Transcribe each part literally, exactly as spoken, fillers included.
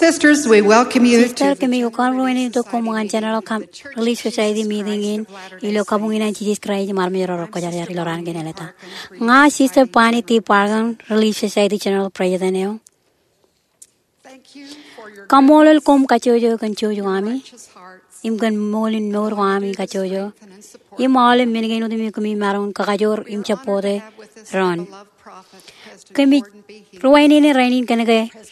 Sisters, we welcome you to Sister, kōmij kōṇaan ruwainene tok koṃ ñan General Com-, Relief Society meeting in ilo kabuñ in an Jisōs Kraist im armej ro rekwōjarjar ilo raan kein āliktata. Ña Sister Bonnie T. Parkin, Relief Society General President eo. Kaṃṃoolol koṃ kajjojo kōn jouj ko ami im kōn ṃool in mour ko ami kajjojo im aolep men kein otemjej kōmij maroñ in kakajoor im jabbote doon. Kōmij ruwainene rainin kōnke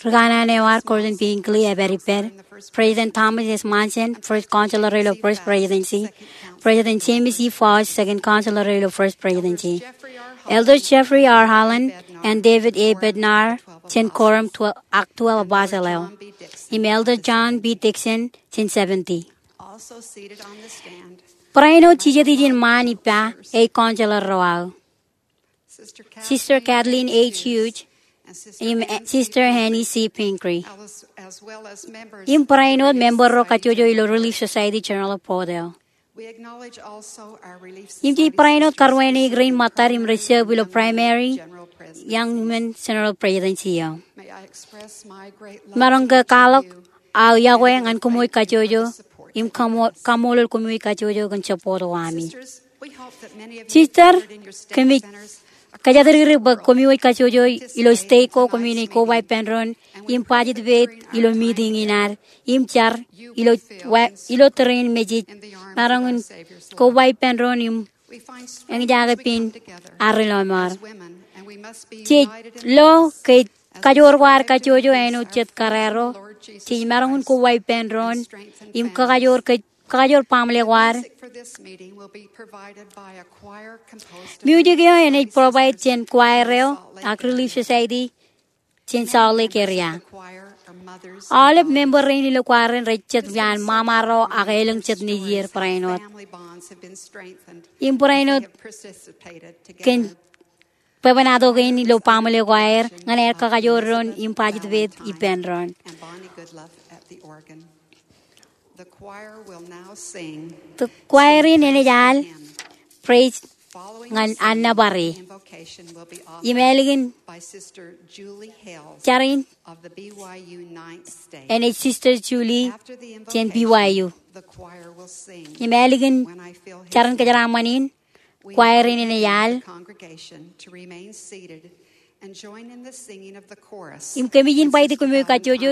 ri kanaan eo ad, Gordon B. Hinckley, epād ippād, President Thomas S. Monson, First Counselor ilo First Presidency, President James E. Faust, Second Counselor ilo First Presidency, Elder Jeffrey R. Holland and David A. Bednar jān Quorum twelve, ak twelve Apostle eo, im Elder John B. Dixon jān Seventy. Barāinwōt jijet ijin ṃaan ippa ej counselor ro aō, Sister Kathleen H. Hughes im, eh, Sister Annie C. Pingree, im barāinwōt member ro kajjojo ilo Relief Society General Board eo. Im jej barāinwōt karuwaineik rein ṃōttad im rej serve ilo primary, young women, General Presidency eo. Imaroñ ke kwaḷọk aō iọkwe ñan kōmwōj kajjojo im kaṃo-, kaṃṃoolol kōmwōj kajjojo kōn jabbote ko ami. Sister, kōmij kōjatdikdik bwe kōmwōj kajjojo ilo state ko kōmij naaj koba ippān doon im participate ilo meeting in ad im jar ilo, wa-, ilo tōre in message, imaroñ in koba ippān doon im eñjake pein ad ri lọmọọr. Jej lo ke kajoor ko ad kajjojo āinwōt jet kōrā ro. Jej maroñ in koba ippān doon im kakajoor kōj, kakajoor baaṃle ko ad. Music eo enaaj provide jān choir eo ak Relief Society jān Salt Lake area. Aolep member rein ilo choir in rej jet iaan ṃaṃa ro ak elōñ jet nejier barāinwōt. Im barāinwōt kōn bwebwenato kein ilo baaṃle ko aer ñan aer kakajoor doon im participate ippān doon. The choir in enaaj al praise ñan an nōbar e. Im ālikin jar in enaaj Sister Julie jān B Y U. Im ālikin jar in kōjeraaṃṃan in, choir in enaaj al. Im kōmij invite kōmwōj kajjojo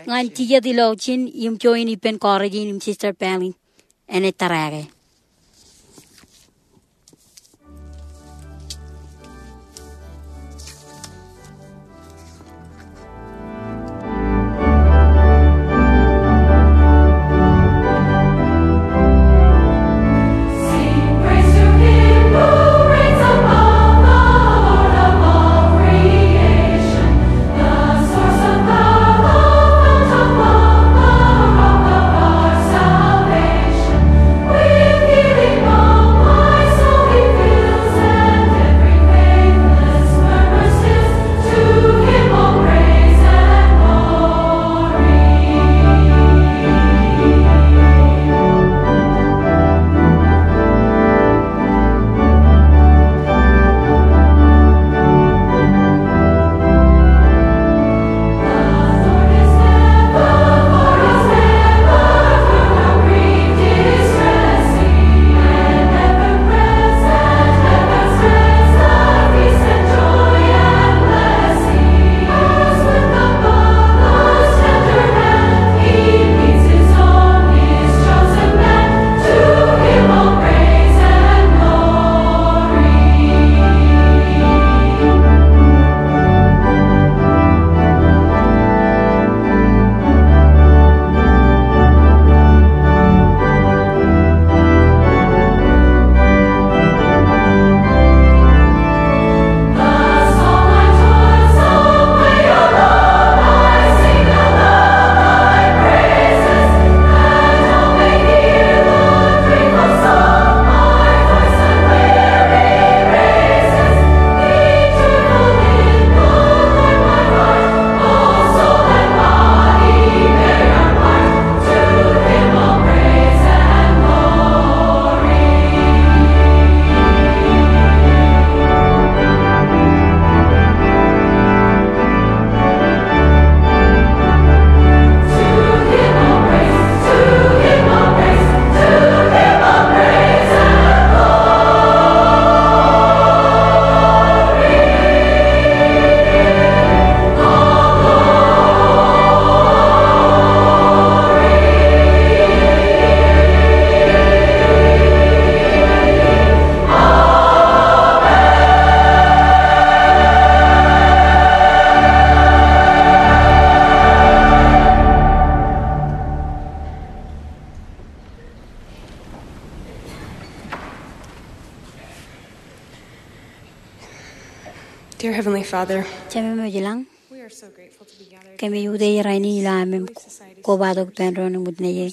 ñan jijet ilo jin im join ippān chorus in im Sister Palin enaaj tōrake. Dear Heavenly Father, Jemem eo ej ilañ, we are so grateful to be gathered kōmij utiej rainin ilo aṃ im kobatok ippān doon im utiej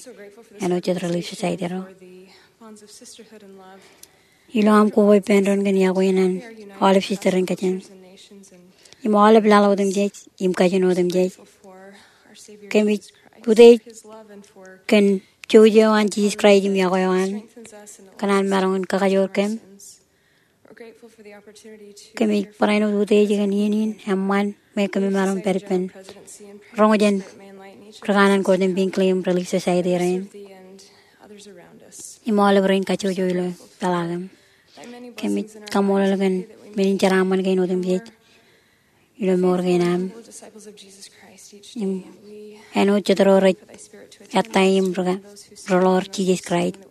āinwōt jet Relief Society ro. For the bonds of sisterhood and love. Ilo aṃ koba ippān doon kōn iọkwe in an aolep sister im kajin im aolep laḷ otemjej im kajin otemjej. Kōmij utiej kōn jouj eo an Jisōs Kraist im iọkwe eo an kōn an maroñ in kakajoor kōm. Kōmij barāinwōt utiej kōn iien in eṃṃan me kōmij maroñ pād ippān roñjān ri kanaan Gordon Hinckley im Relief Society rein im aolep rein kajjojo ilo peḷaakin. Kōmij kaṃṃoolol kōn men in jeraaṃṃan kein otemjej ilo mour kein am. Im āinwōt jet ro rej ettā im ri-, riḷọk Jisōs Kraist.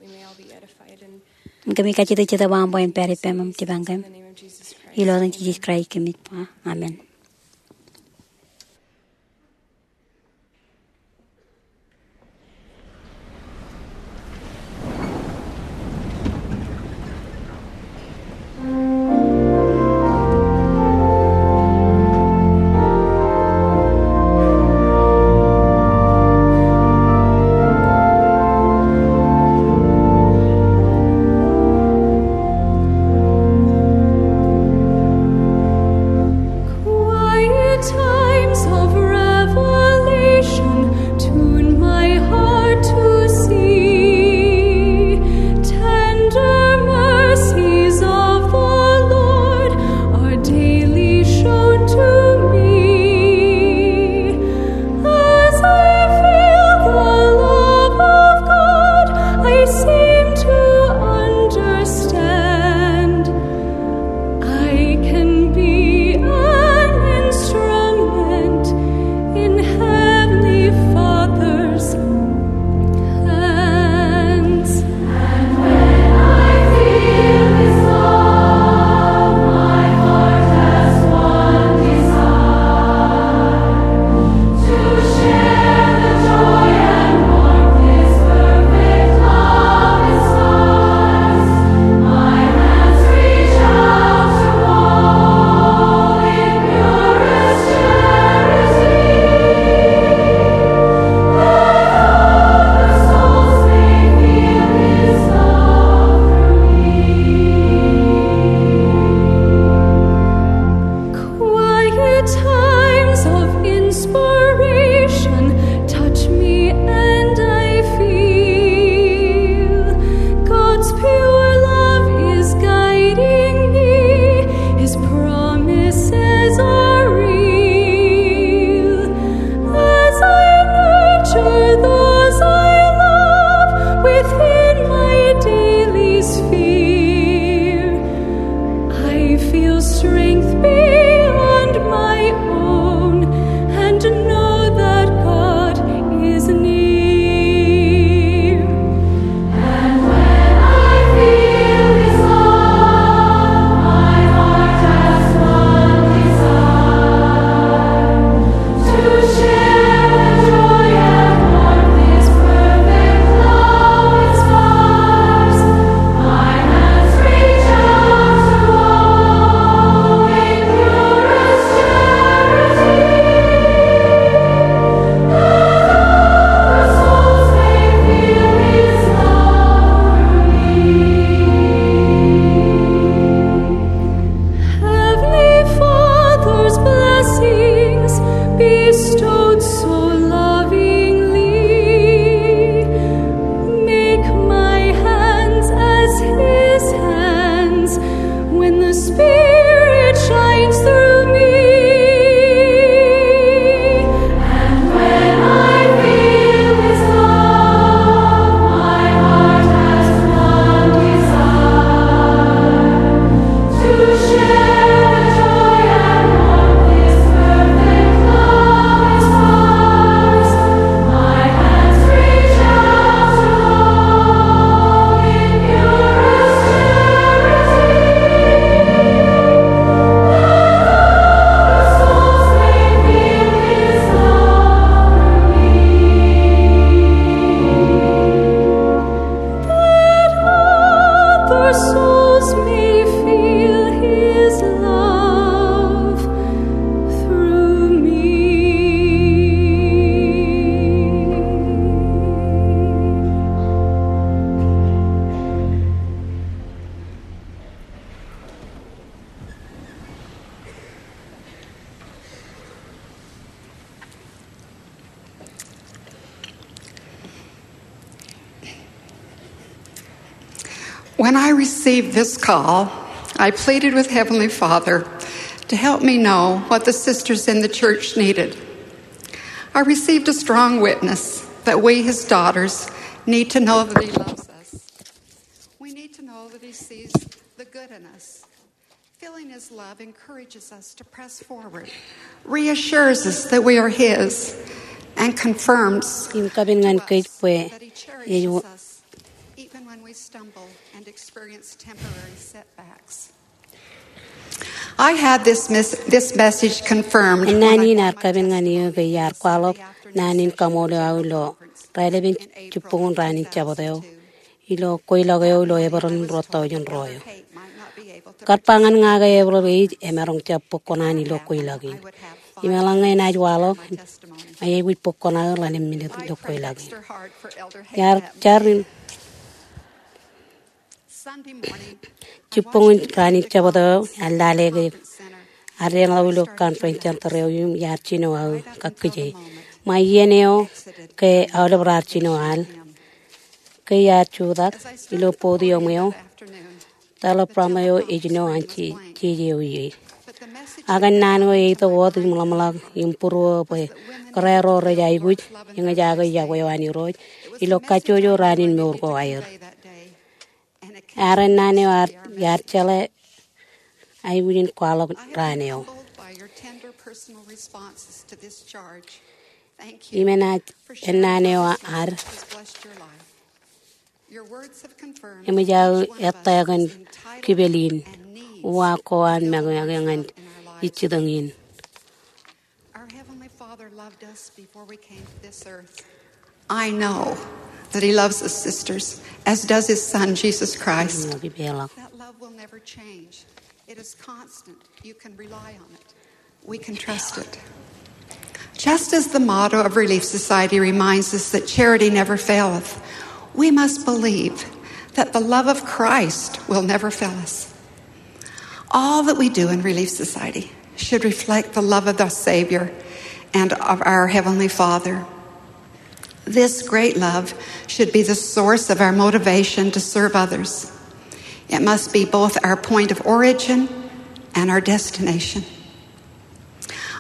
Im kōmij kajjitōk Jetōb eo aṃ bwe en pād ippām im jipañ kōm. Ilo etan Jisōs Kraist kōmij ba. Amen. When I received this call, I pleaded with Heavenly Father to help me know what the sisters in the church needed. I received a strong witness that we, his daughters, need to know that he loves us. We need to know that he sees the good in us. Feeling his love encourages us to press forward, reassures us that we are his, and confirms Im kapen ñan kōj bwe that he cherishes us even when we stumble and experience temporary setbacks. I had this, mis- this message confirmed when I got my testimony yesterday afternoon. Ennaan in ear kapen ñan eō ke iar kwaḷọk naan in kaṃool eo aō ilo raelepen jibboñōn raan in Jabōt eo ilo kweilọk eo ilo Epril ruo tọujin ruo eo. Kar ba ñan ña ke Epril ej emaroñ jab bōk kuṇaan ilo kweilọk in. Im eḷaññe enaaj waḷọk, ña ij aikuj bōk kuṇaō ḷalem minit ilo kweilọk in. Iar jar in jibboñōn raan in Jabōt eo, iar lale ke iar deḷọñ ilo conference center eo im iar jino aō kakkije. Ṃae iien eo ke aolep raar jino al, ke iar jutak ilo podium eo, teleprompter eo ej jino an jeje eo ie. Ak ennaan eo eitok wōt im ḷōmṇak im būruō bwe kōrā ro rej aikuj eñjake yokwe eo an Irooj ilo kajjojo raan in mour ko aer. Ear ennaan eo iar jeḷā aikuj in kwaḷọk raan eo. Im enaaj ennaan eo ad eṃōj aō ettā kōn kipel in, uwaak ko an make ñan ij jitōñ in. Our Heavenly Father loved us before we came to this earth. I know that he loves us, sisters, as does his Son, Jesus Christ. That love will never change. It is constant. You can rely on it. We can trust it. Just as the motto of Relief Society reminds us that charity never faileth, we must believe that the love of Christ will never fail us. All that we do in Relief Society should reflect the love of the Savior and of our Heavenly Father. This great love should be the source of our motivation to serve others. It must be both our point of origin and our destination.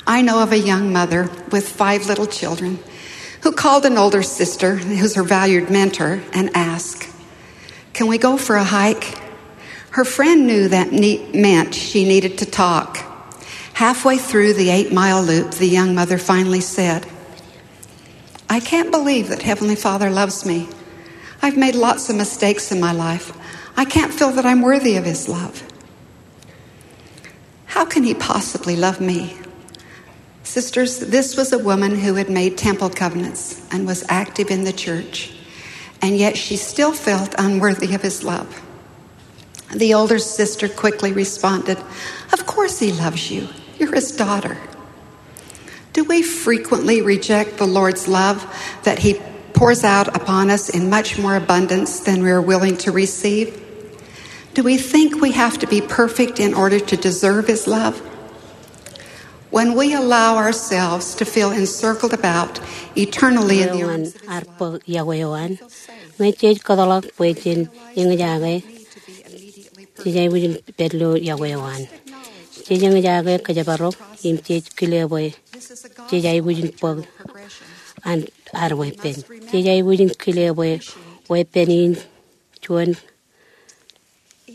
I know of a young mother with five little children who called an older sister, who's her valued mentor, and asked, "Can we go for a hike?" Her friend knew that ne- meant she needed to talk. Halfway through the eight-mile loop, the young mother finally said, "I can't believe that Heavenly Father loves me. I've made lots of mistakes in my life. I can't feel that I'm worthy of his love. How can he possibly love me?" Sisters, this was a woman who had made temple covenants and was active in the church, and yet she still felt unworthy of his love. The older sister quickly responded, "Of course he loves you. You're his daughter." Do we frequently reject the Lord's love that he pours out upon us in much more abundance than we are willing to receive? Do we think we have to be perfect in order to deserve his love? When we allow ourselves to feel encircled about eternally in the arms of his love, we feel safe. Ñe jej kōtḷọk bwe jen eñjake, jej aikuj in pād ilo yokwe eo an. Jej eñjake kōjparok im jej kile bwe jej aikuj in bōk an ad weeppān. Jej aikuj in kile bwe weeppān in juon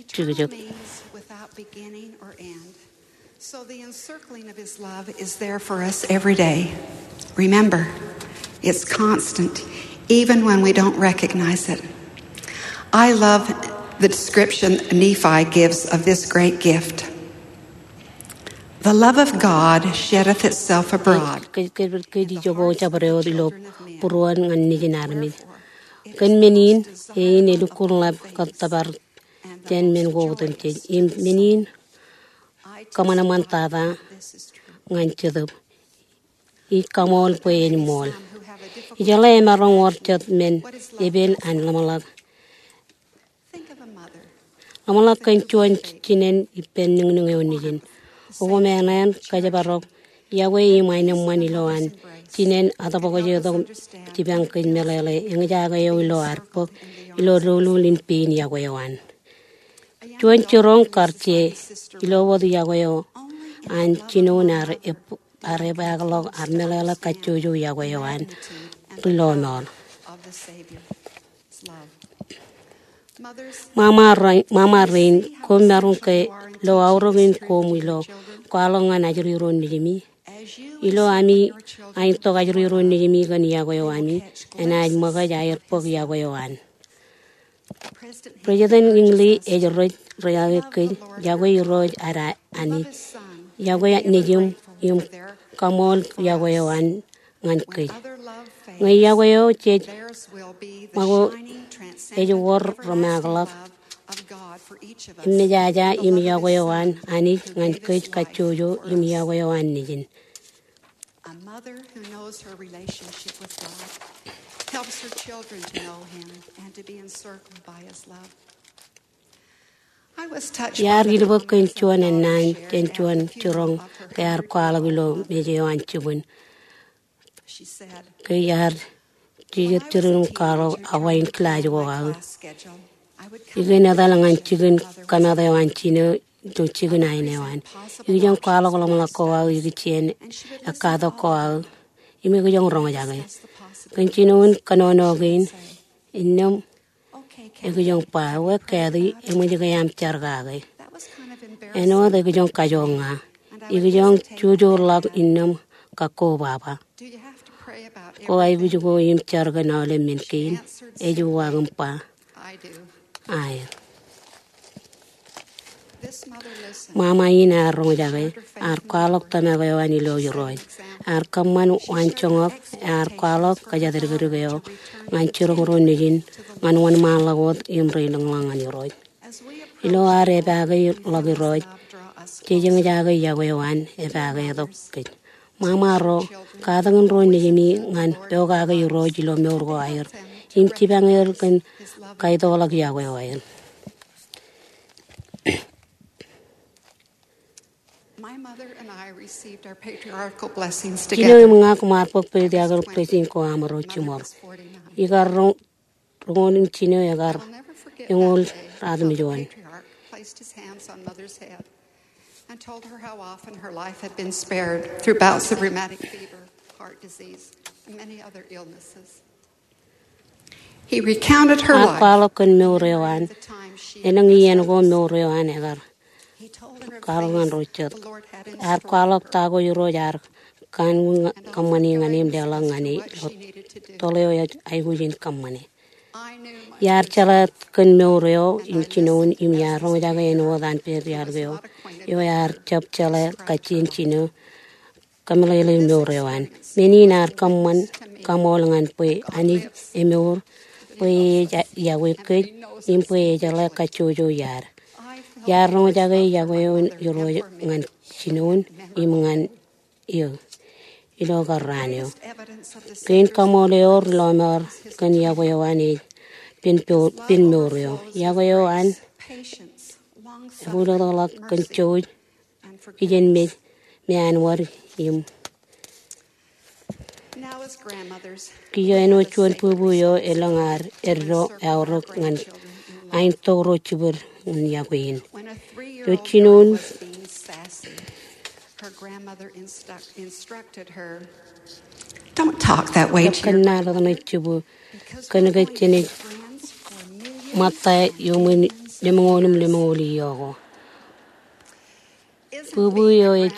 jukjuk. Eternal means without beginning or end. So the encircling of his love is there for us every day. Remember, it's constant, even when we don't recognize it. I love the description Nephi gives of this great gift. "The love of God sheddeth itself abroad." Kōj, kōj, kōj, kōj ijoko jabdewōt ilo būruon ñan nejin armej. Kōn men in, e in elukkuun ḷap kōttōpar jān men ko otemjej. Im men in kōṃanṃan tata ñan Jetōb. Ij kaṃool bwe en ṃool. Ijeḷā emaroñ wōr jet men epen an ḷōmṇak. Ḷōmṇak kōn juon jinen ippān niñniñ eo nejin. Okoṃṃan kōjparok yokwe im aenōṃṃan ilowaan jinen atbōkjetok jipañ kōj meḷeḷe eñjake eo ilo ad bōk ilo doulul in pein yokwe eo an. Juon jiroñ kar je ilo wōt yokwe eo an jinoin ear ep-, ear epaakḷọk, ear meḷeḷe kajjojo yokwe eo an ri lọmọọr. Ṃaṃa rein, ṃaṃa rein, koṃ maroñ ke lo aorōk in koṃ ilo kwaḷọk ñan ajriroñ nejimi? Ilo ami aentok ajriroñ nejimi kōn yokwe eo ami, enaaj ṃōkaj aer bōk yokwe eo an. President Hinckley ej rej, rej aikuj, yokwe Irooj ad Anij, yokwe nejiṃ im kaṃool yokwe eo an ñan kōj. Ñe yokwe eo jej ṃōko ej wōr rōmaakḷọk, im mejaja im yokwe eo an Anij ñan kōj kajjojo im yokwe eo an Nejin. A mother who knows her relationship with God helps her children to know Him and to be encircled by His love. I was touched by the comments of a daughter shared after funeral of her hundred-year-old mother. She said, "Ke iar jijet jirin im kwaḷọk awa in kilaaj ko aō, ikōn etal ñan jikin kamat eo an jino ilo jikin ain eo an. Ikijjien kwaḷọk ḷōmṇak ko aō, ikijjien ekkatak ko aō, im ikijjien roñjake." Kōn jinoin kōnono kein, innām ekijjien ba, "Ewe, Kathy, eṃōj ke aṃ jar kake?" Āinwōt ekijjien kajoor ña. Ikijjien jujuḷọk innām kakkobaba. "Ko aikuj ko im jar kōn aolep men kein?" Ej uwaak im ba, "Aet." Ṃaṃa in ear roñjake, ear kwaḷọk tōmak eo an ilo Irooj. Ear kōṃṃan waanjoñak, ear kwaḷọk kōjatdikdik eo ñan jiroñ ro nejin ñan wōnṃaanḷọk wōt im rej lōñḷọk ñan Irooj. Ilo ad epaake ḷọk Irooj, jej eñjake yokwe eo an epaake tok kōj. Ṃaṃa ro, katakin ro nejimi ñan pokake Irooj ilo mour ko aer im jipañ er kōn kaitokḷọk yokwe eo aer. My mother and I received our patriarchal blessings together. Jino im ña koṃ ar bōk patriarchal blessing ko aṃro jiṃor. Ikar roñ roñoul im jino ekar eñoul ratimjuon. I'll never forget that day when our patriarch placed his hands on Mother's head and told her how often her life had been spared through bouts of rheumatic fever, heart disease, and many other illnesses. He recounted her life. Ear kwaḷọk kōn mour eo an, elōñ iien ko mour eo an ekar kwaḷọk ñan ro jet. Ear kwaḷọk ta ko Irooj ear kanooj kōṃṃani ñan e im leḷọk ñan e ilo toḷ eo ej aikuj in kōṃṃane. Iar jeḷā kōn mour eo im jinoin im iar roñjake āinwōt an patriarch eo, eo ear jab jeḷā kajjien jino kōmeḷeḷein mour eo an. Men in ear kōṃṃan kaṃool ñan bwe Anij emour, bwe e ej yokwe kōj, im bwe e jeḷā kajjojo iaad. Iar roñjake yokwe eo an Irooj ñan jinoin im ñan eō ilo kar raan eo. Kein kaṃool eo ri lọmọọr kōn yokwe eo an ej pen po-, pen mour eo. Yokwe eo an ebuḷōtḷọk kōn jouj, kijenmej, me an wōd im kiiō āinwōt juon bubu eo elōñ ad eddo eaorōk ñan aentok ro jibwid in yokwe in. Ilo jinoin Don't talk that way to your... Kōnnaan ḷōtṇe jibwid, kōnke jenaaj ṃōtta iuṃwin lemñoul im lemñoul iiō ko. Bubu eo ej,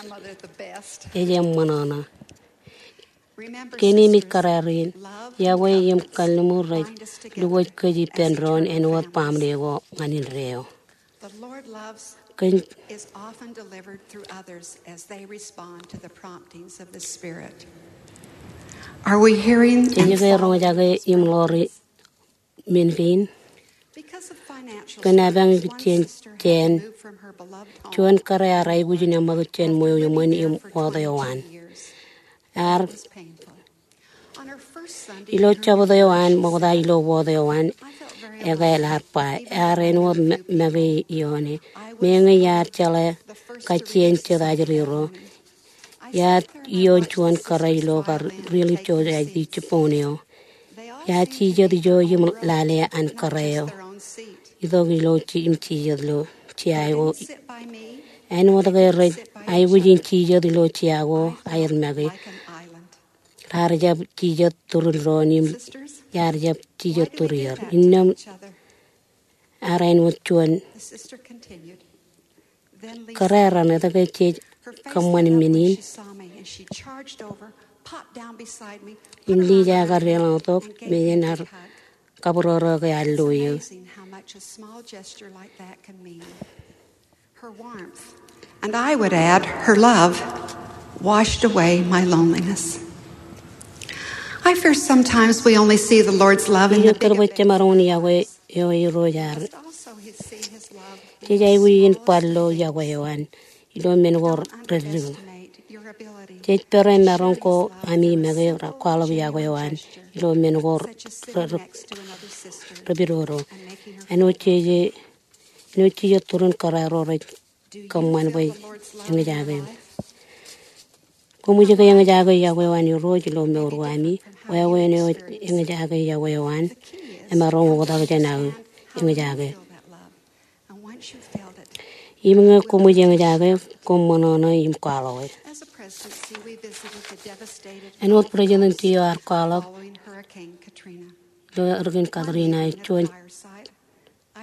ej eṃṃanḷọk. Keememej kōrā rein, yokwe im kalliṃur rej lukwōj kōj ippān doon āinwōt baaṃle ko ñan indeeo. Kōn Jej ke roñjake im ḷoori men kein? Kōn epañ ikijjien jāān, juon kōrā ear aikuj in eṃṃakūt jān ṃweo iṃōn im wōt eo an. Ear, ilo Jabōt eo an ṃokta ilo wōt eo an, ekāāl ear ba, ear āinwōt ma-, make ioone. Meñe iar jeḷā kajjien jet ajri ro, iar iioon juon kōrā ilo kar Relief Society jibboñ eo. Iar jijet ijo im lale an kōrā eo. itok ilo ji-, im jijet ilo jea ko. Āinwōt ke rej aikuj in jijet ilo jea ko aer make. Raar jab jijet turin doon im iar jab jijet turier. Innām ear āinwōt juon kōrā raṇ etke jej kōṃṃan men in. Im Lisa ear deḷọñtok, men in ear kabūroḷọk ear lo eō. Her warmth, and I would add, her love, washed away my loneliness. I fear sometimes we only see the Lord's love in the big events. Ij kōtōpar bwe jemaroñ in yokwe eo Irooj ear. Jej aikuj in bar lo yokwe eo an ilo men ko reddik. Jej pād im maroñ ko ami make kwaḷọk yokwe eo an ilo men ko re-, re-, repidodo. Āinwōt jej, āinwōt jijet turin kōrā ro rej kōṃṃan bwe eñjake. Koṃij ke eñjake yokwe eo an Irooj ilo mour ko ami. Wāween eo eñjake yokwe eo an emaroñ oktak jān aō eñjake. Im ñe koṃij eñjake, koṃ ṃōṇōṇō im kwaḷọke. Āinwōt president eo ear kwaḷọk ilo Hurricane Katrina, ej juon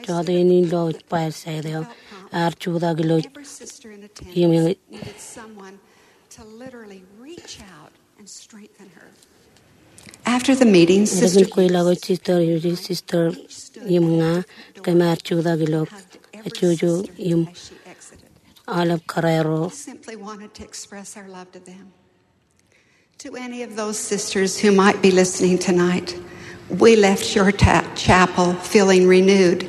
jota in ilo bar side eo ear jutak ilo im After the meeting, Sister Eñin kweilọk eo Sister Yuji, Sister im ña, kōm ar jutak ilo kajjojo im aolep kōrā ro. Simply wanted to express our love to them. To any of those sisters who might be listening tonight, we left your ta-, chapel feeling renewed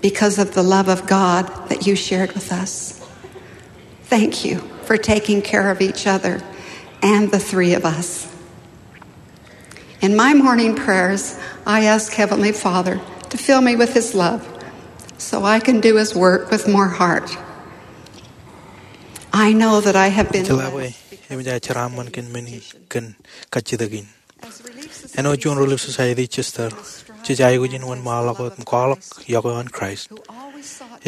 because of the love of God that you shared with us. Thank you for taking care of each other and the three of us. In my morning prayers, I ask Heavenly Father to fill me with His love so I can do His work with more heart. I know that I have been Jeḷā bwe eṃōj aō jeraaṃṃan kōn men in kōn kajjitōk in. Āinwōt juon Relief Society sister, jej aikuj in wōnṃaanḷọk wōt im kwaḷọk yokwe eo an Kraist,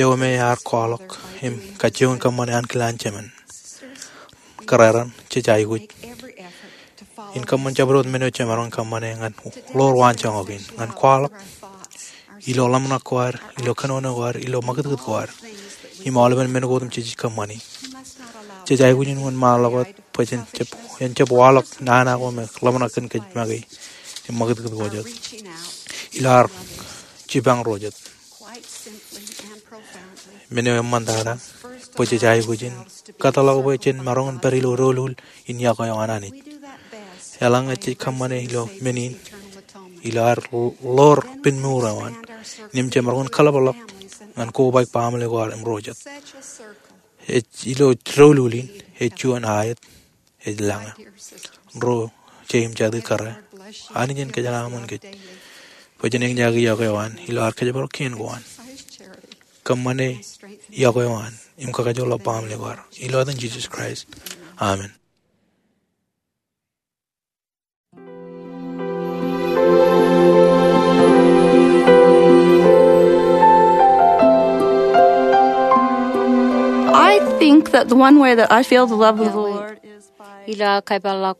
eo me ear kwaḷọk im kajjioñ in kōṃṃane ankilaan jemān. Kōrā raṇ jej aikuj in kōṃṃan jabdewōt men eo jemaroñ in kōṃṃane ñan ḷoor waanjoñak in, ñan kwaḷọk ilo ḷōmṇak ko ad, ilo kōnono ko ad, ilo ṃakūtkūt ko ad, im aolepen men ko otemjej jej kōṃṃani. Jej aikuj in wōnṃaanḷọk wōt bwe jen jab, jen jab waḷọk nana ko me ḷōmṇak kōn kōj make im ṃakūtkūt ko jet ilo ad jipañ ro jet. Men eo eṃṃantata bwe jej aikuj in kōtḷọk bwe jen maroñ in pād ilo doulul in yokwe eo an Anij. Eḷaññe jej kōṃṃane ilo men in, ilo ad ḷoor pen mour eo an, im jemaroñ in kōḷapḷọk ñan kobaik baaṃle ko ad im ro jet. Ej ilo doulul in, ej juon aet ej lañe. Ro jet im jatū kōrā, Anij en kōjeraaṃṃan kōj bwe jen eñjake yokwe eo an ilo ad kōjparok kien ko an. Kōṃṃane yokwe eo an im kakajoorḷọk baaṃle ko ad. Ilo etan Jisōs Kraist, amen. I think that the one way that I feel the love of the Lord is by, ilo aō kōpeḷḷọk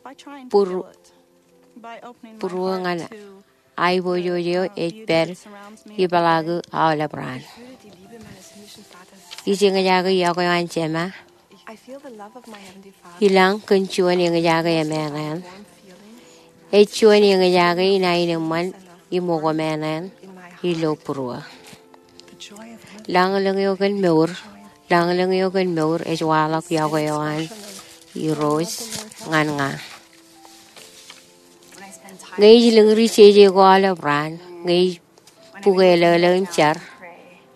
by trying to feel it, by opening my heart to būruō ñan aiboojoj eo ej pād ipeḷaaku aolep raan. Ij eñjake yokwe eo an Jema ilañ kōn juon eñjake emānaan. Ej juon eñjake in aenōṃṃan im okōmānaan ilo būruō. Lañlōñ eo kōn mour, lañlōñ eo kōn mour ej waḷọk yokwe eo an Irooj ñan ña. Ñe ij lōñri jeje ko aolep raan, ñe ij bukwe lōlō im jar,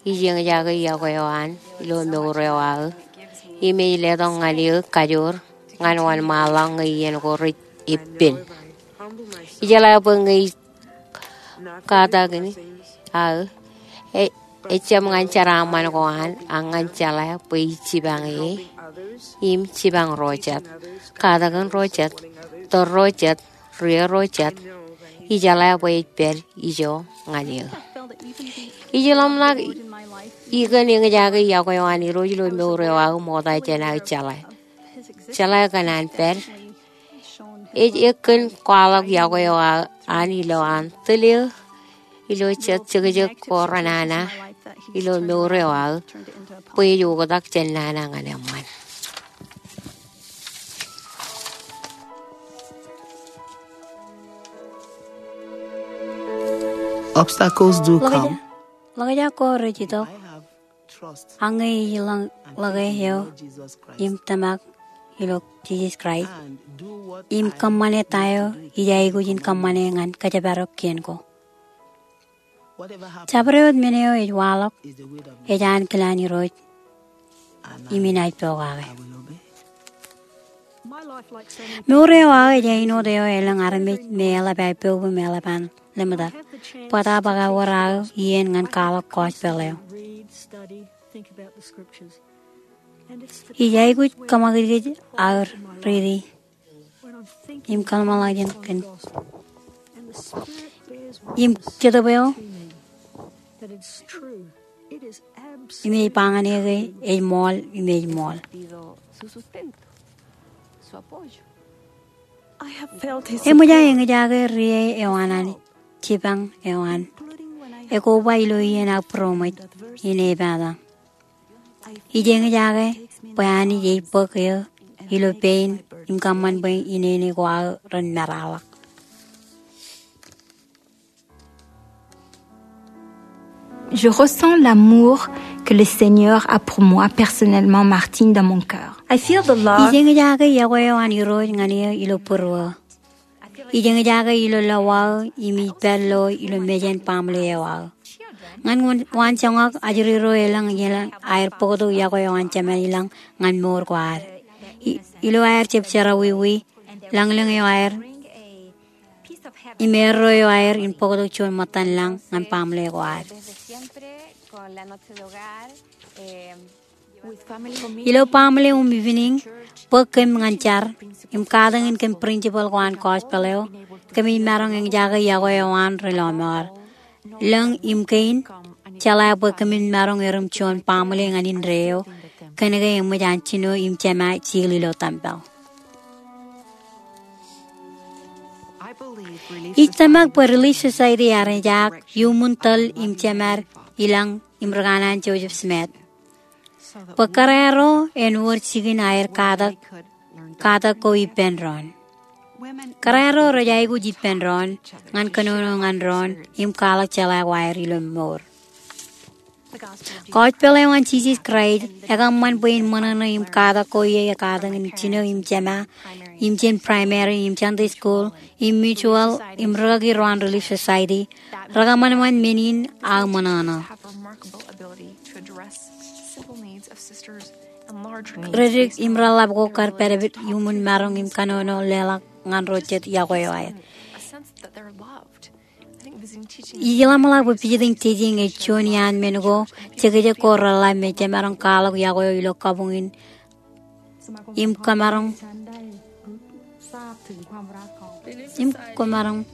ij eñjake yokwe eo an ilo mour eo aō, im ej letok ñan eō kajoor ñan wōnṃaanḷọk ñe iien ko rej eppān. Ijeḷā bwe ñe ij katakin aō, e, ejjab ñan jeraaṃṃan ko an, ak ñan jeḷā bwe ij jipañ e im jipañ ro jet, katakin ro jet, tōl ro jet, ri ro jet, ijeḷā bwe ej pād ijo ñan eō. Ij ḷōmṇak ikōn eñjake yokwe eo an Irooj ilo mour eo aō ṃokta jān aō jeḷā. Jeḷā kōn an pād. Ej ekkōn kwaḷọk yokwe eo an ilo an tōl eō ilo jet jekjek ko renana ilo mour eo aō bwe ej oktak jān nana ñan eṃṃan. Obstacles do come. Ḷōkjak ko rej itok. Ak ñe ij ḷōñ ḷōke eo im tōmak ilo Jisōs Kraist im kōṃṃane ta eo ij aikuj in kōṃṃane ñan kōjparok kien ko. Jabdewōt men eo ej waḷọk ej ankilaan Irooj im inaaj pokake. Mour eo aō ej āinwōt eo elōñ armej me eḷap aō poub im eḷap an lemtak. Bōtab ak ewōr aō iien ñan kwaḷọk gospel eo. Ij aikuj kōṃakūtkūt aō riiti im kōḷmānḷọkjeṇ im kōn Jetōb eo im ej ba ñan eō ke ej ṃool im ej ṃool. Eṃōj aō eñjake rie eo an Anij, jipañ eo an, ekoba ilo iien aō būroṃōj in epata. Ij eñjake bwe Anij ej bōk eō ilo pein im kōṃṃan bwe inene ko aō ren meraḷọk. Je ressens l'amour que le Seigneur a pour moi personnellement, Martine, dans mon cœur. I feel the love. Ij eñjake yokwe eo an Irooj ñan eō ilo būruō. Ij eñjake ilo lọwa eo im ij pād lo ilo mejān baaṃle eo aō. Ñan waan, waanjoñak ajri ro elōñ, elōñ aer bōktok yokwe eo an Jemān ilañ ñan mour ko ad. I, ilo aer jab jerọwiwi, lañlōñ eo aer im erro eo aer in bōktok juon ṃōttan lañ ñan baaṃle ko ad. Ilo baaṃle im evening, bōk kōm ñan jar im katakin kōm principal ko an gospel eo, kōmij maroñ eñjake yokwe eo an ri lọmọọr. Lōñ im kein, jeḷā bwe kōmin maroñ erom juon baaṃle ñan indeeo, kōnke eṃōj an jino im jema jil ilo tempel. Ij tōmak bwe Relief Society ear ejaak iuṃwin tōl im jemād ilañ im ri kanaan Joseph Smith bwe kōrā ro en wōr jikin aer katak, katak ko ippān doon. Kōrā ro rej aikuj ippān doon ñan kōnono ñan doon im kwaḷọk jeḷā ko aer ilo mour. Gospel eo an Jisōs Kraist ekōṃṃan bwe in ṃōṇōṇō im katak ko ie, katakin jino im jema, im jān primary im Sunday school im mutual im rikaki ro an Relief Society, rekōṃanṃan men in aō ṃōṇōṇō. Redik im reḷap ko kar pād iuṃwin maroñ im kōnono leḷọk ñan ro jet yokwe eo aer. Ij ḷōmṇak bwe visiting teaching ej juon iaan men ko jekjek ko reḷap me jemaroñ kwaḷọk yokwe eo ilo kabuñ in im kōmaroñ, im kōmaroñ.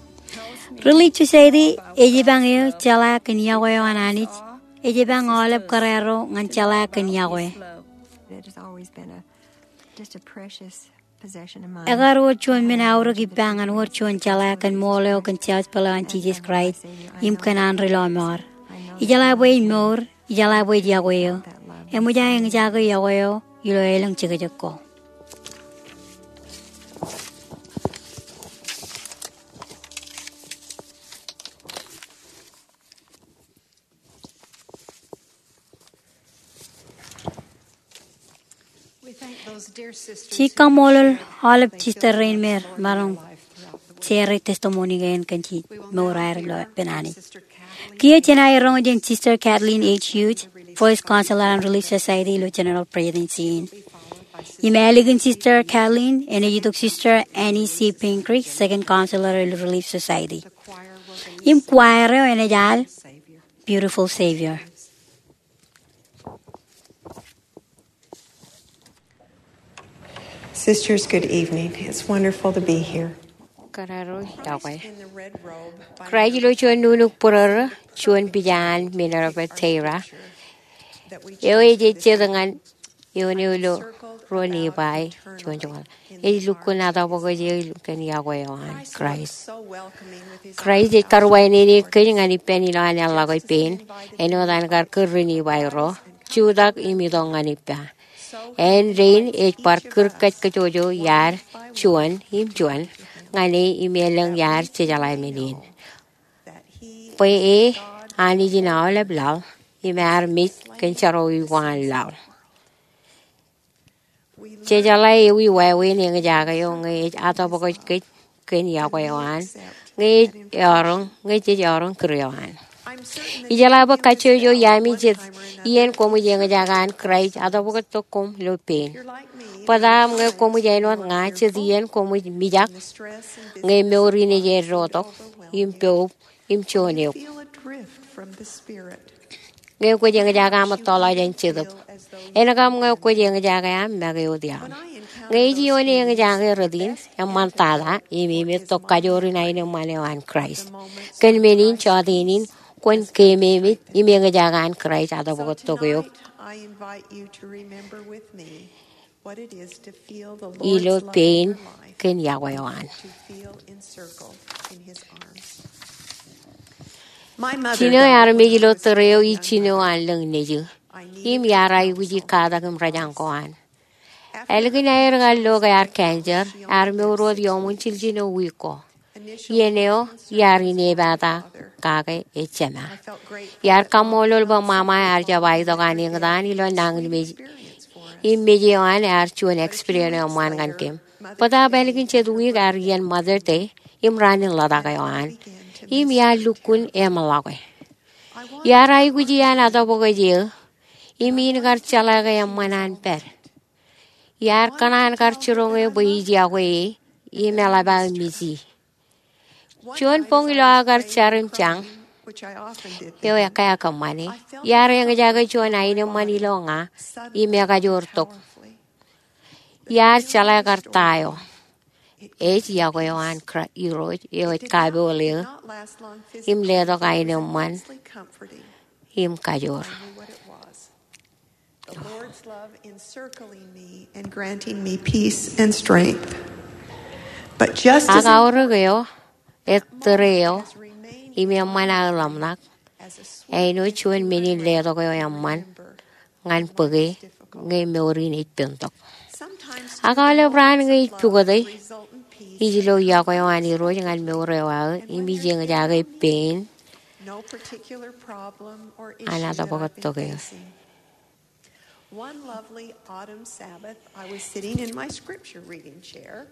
Relief Society ej jipañ eō jeḷā kōn yokwe eo an Anij, ej jipañ aolep kōrā ro ñan jeḷā kōn yokwe. Ekar wōr juon men aorōk ippa ñan wōr juon jeḷā kōn ṃool eo kōn gospel eo an Jisōs Kraist im kōn an ri lọmọọr. Ijeḷā bwe ej mour, ijeḷā bwe ej yokwe eo. Eṃōj aō eñjake yokwe eo ilo elōñ jekjek ko. Jej kaṃṃoolol aolep sister rein me remaroñ share testimony kein kōn jej mour aer ilo ippān Anij. Kiiō jen aer roñ jān Sister Kathleen H. Hughes, First Counselor an Relief Society ilo General Presidency in. Im ālikin Sister Kathleen enaaj itok Sister Annie C. Pingree, Second Counselor ilo Relief Society. Im choir eo enaaj al Beautiful Savior. Sisters, good evening. It's wonderful to be here. Kōrā ro iọkwe. Kraist ilo juon nuknuk būrōrō, juon pija an men eo rej ba Teira, eo ej ejjet ñan eoon eo ilo ruo Nifai juon joñoul. Ej lukkuun atobokoj eō kōn iọkwe eo an Kraist. Kraist ej karuwainene kōj ñan ippān ilowaan eḷḷọk eo pein, āinwōt an kar kūr ri-Nifai ro, jutak im itok ñan ippa. Āindein ej bar kūr kajkajjojo iaad juon im juon ñan e im elōñ iaad jejeḷā men in, bwe e Anij in aolep laḷ im ear mej kōn jerọwiwi ko an laḷ. Jejeḷā ewi wāween eñjake eo ñe ej atobokoj kōj kōn iọkwe eo an, ñe ej eọroñ, ñe jej eọroñ kūr eo an. Ijeḷā bwe kajjojo iaami jet iien koṃij eñjake an Kraist atobokojtok koṃ ilo pein. Bōtab ñe koṃij āinwōt ña, jet iien koṃij mijak ñe mour in ej eddotok im poub im juon eok. Ñe kwōj eñjake aṃ ettoḷọk jān Jetōb, en kab ñe kwōj eñjake aṃ make wōt iaḷ. Ñe ej ioon eñjake rot in, eṃṃantata im emettok kajoor in aenōṃṃan eo an Kraist. Kōn men in, jọteen in kwōn keememej im eñjake an Kraist atobokojtok eok ilo pein kōn iọkwe eo an. Jino ear mej ilo tōre eo ij jino an lōñ nejū, im iar aikuji katak im rōjañ ko an. Ālikin aer kar lo ke ear cancer, ear mour wōt iuṃwin jiljino wiik ko. Iien eo iar inepata kake ej jema. Iar kaṃṃoolol bwe ṃaṃa ear jab aitok an eñtaan ilo nañinmej im mej eo an ear juon experience eo eṃṃan ñan kōm. Bōtab ālikin jet wiik ear iien Mother's Day im raan in ḷotak eo an, im iar lukkuun eṃḷọke. Iar aikuji an atobokoj eō im in kar jeḷā ke eṃṃan an pād. Iar kōṇaan kar jiroñ eō bwe ij iọkwe e im eḷap aō miji. Juon boñ ilo aō kar jar im jañ eo ekā kōṃṃane, iar eñjake juon aenōṃṃan ilo ña im ekajoor tok. Iar jeḷā kar ta eo. Ej iọkwe eo an Kra-, Irooj eo ej kapool eō im letok aenōṃṃan im kajoor. The Lord's love encircling me and granting me peace and strength. But just as Ak aorōk eo, ettōre eo, im eṃṃan aō ḷōmṇak, āinwōt juon men in letok eo eṃṃan ñan bōke ñe mour in ej pentok. Ak aolep raan ñe ij pukote, ij lo iọkwe eo an Irooj ñan mour eo aō, im ij eñjake pein an atobokojtok eō. One lovely autumn Sabbath, I was sitting in my scripture reading chair,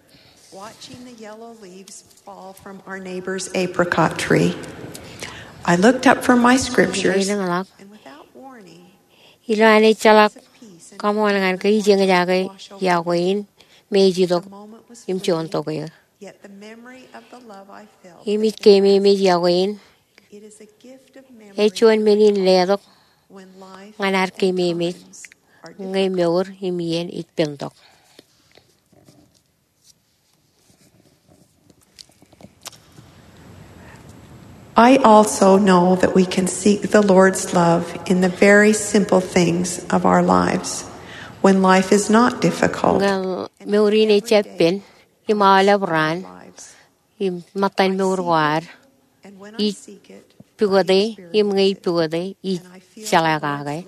watching the yellow leaves fall from our neighbor's apricot tree. I looked up from my scriptures, and without warning, ilo an ejjeḷọk kaṃool ñan ke ij eñjake iọkwe in me ej itok im juon tok eō. Im ij keememej iọkwe in. Ej juon men in letok ñan ad keememej ñe mour im iien ej pentok. I also know that we can seek the Lord's love in the very simple things of our lives when life is not difficult. Ñe mour in ej jab pen, im aolep raan, im ṃōttan mour ko ad, ij pukote, im ñe ij pukote, ij jeḷā kake.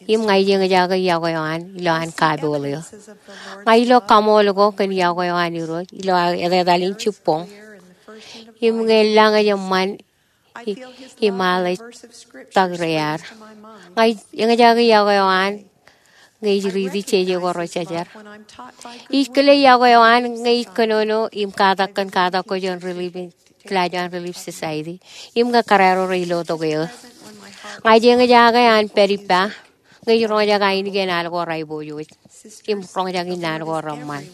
Im ña ij eñjake iọkwe eo an ilo an kapool eō. Ña ij lo kaṃool ko kōn iọkwe eo an Irooj ilo aō etetal in jibboñ. Im ñe lañ ej eṃṃan im al ej tak rear. Ña ij eñjake iọkwe eo an ñe ij riiti jeje ko rejejer. Ij kile iọkwe eo an ñe ij kōnono im katak kōn katak ko juon Relief, kilaaj juon Relief Society. Im ñe kōrā ro rej lo tok eō. Ña ij eñjake an pād ippa ñe ij roñjake ainikien al ko rej aiboojoj im roñjake innaan ko reṃṃan.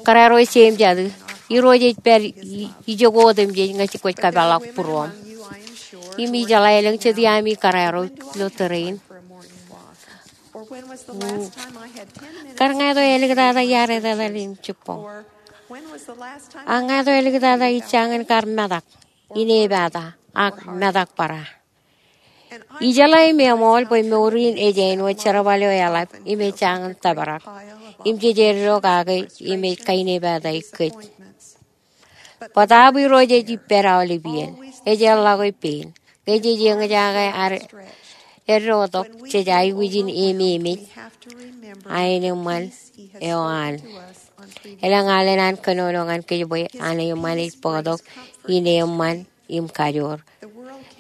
Kōrā ro ej jeim jatū, Irooj ej pād i-, ijoko otemjej ñe kwōj kōpeḷḷọk būruōṃ. Im ijeḷā elōñ jet iaami kōrā ro ilo tōre in. Kar ñāāt eo āliktata iar etetal in jibboñ. Ak ñe eto āliktata ij jañin kar metak, inepata, ak metak bōra? Ijeḷā im eṃool bwe mour in ej āinwōt jerbal eo eḷap im ej jañin tōprak im jej eddo kake im ej kainepataik kōj. Bōtaab Irooj ej ippād aolep iien. Ej erḷọke pein. Ñe jej eñjake ad eddotok, jej aikuj in ememej aenōṃṃan eo an. Elōñ alen an kōnono ñan kōj bwe aenōṃṃan ej bōktok in eṃṃan im kajoor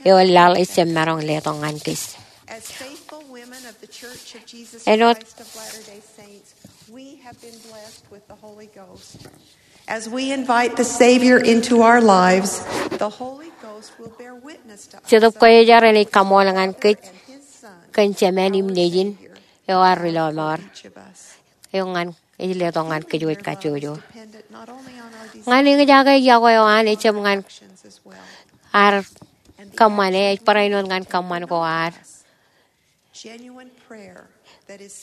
eo laḷ ejjab maroñ letok ñan kōj. As faithful women of the Church of Jesus Āinwōt Christ of Latter-day Saints, we have been blessed with the Holy Ghost. As we invite the Savior into our lives, the Holy Ghost will bear witness to us Jetōb Kwōjarjar enaaj kaṃool ñan kōj kōn Jemān im Nejin eo ear ri lọmọọr. Eo ñan ej letok ñan kōj wōj kajjojo. Ñan eñjake yokwe eo an ejjab ñan ad kōṃṃane, ej barāinwōt ñan kōṃṃan ko ad.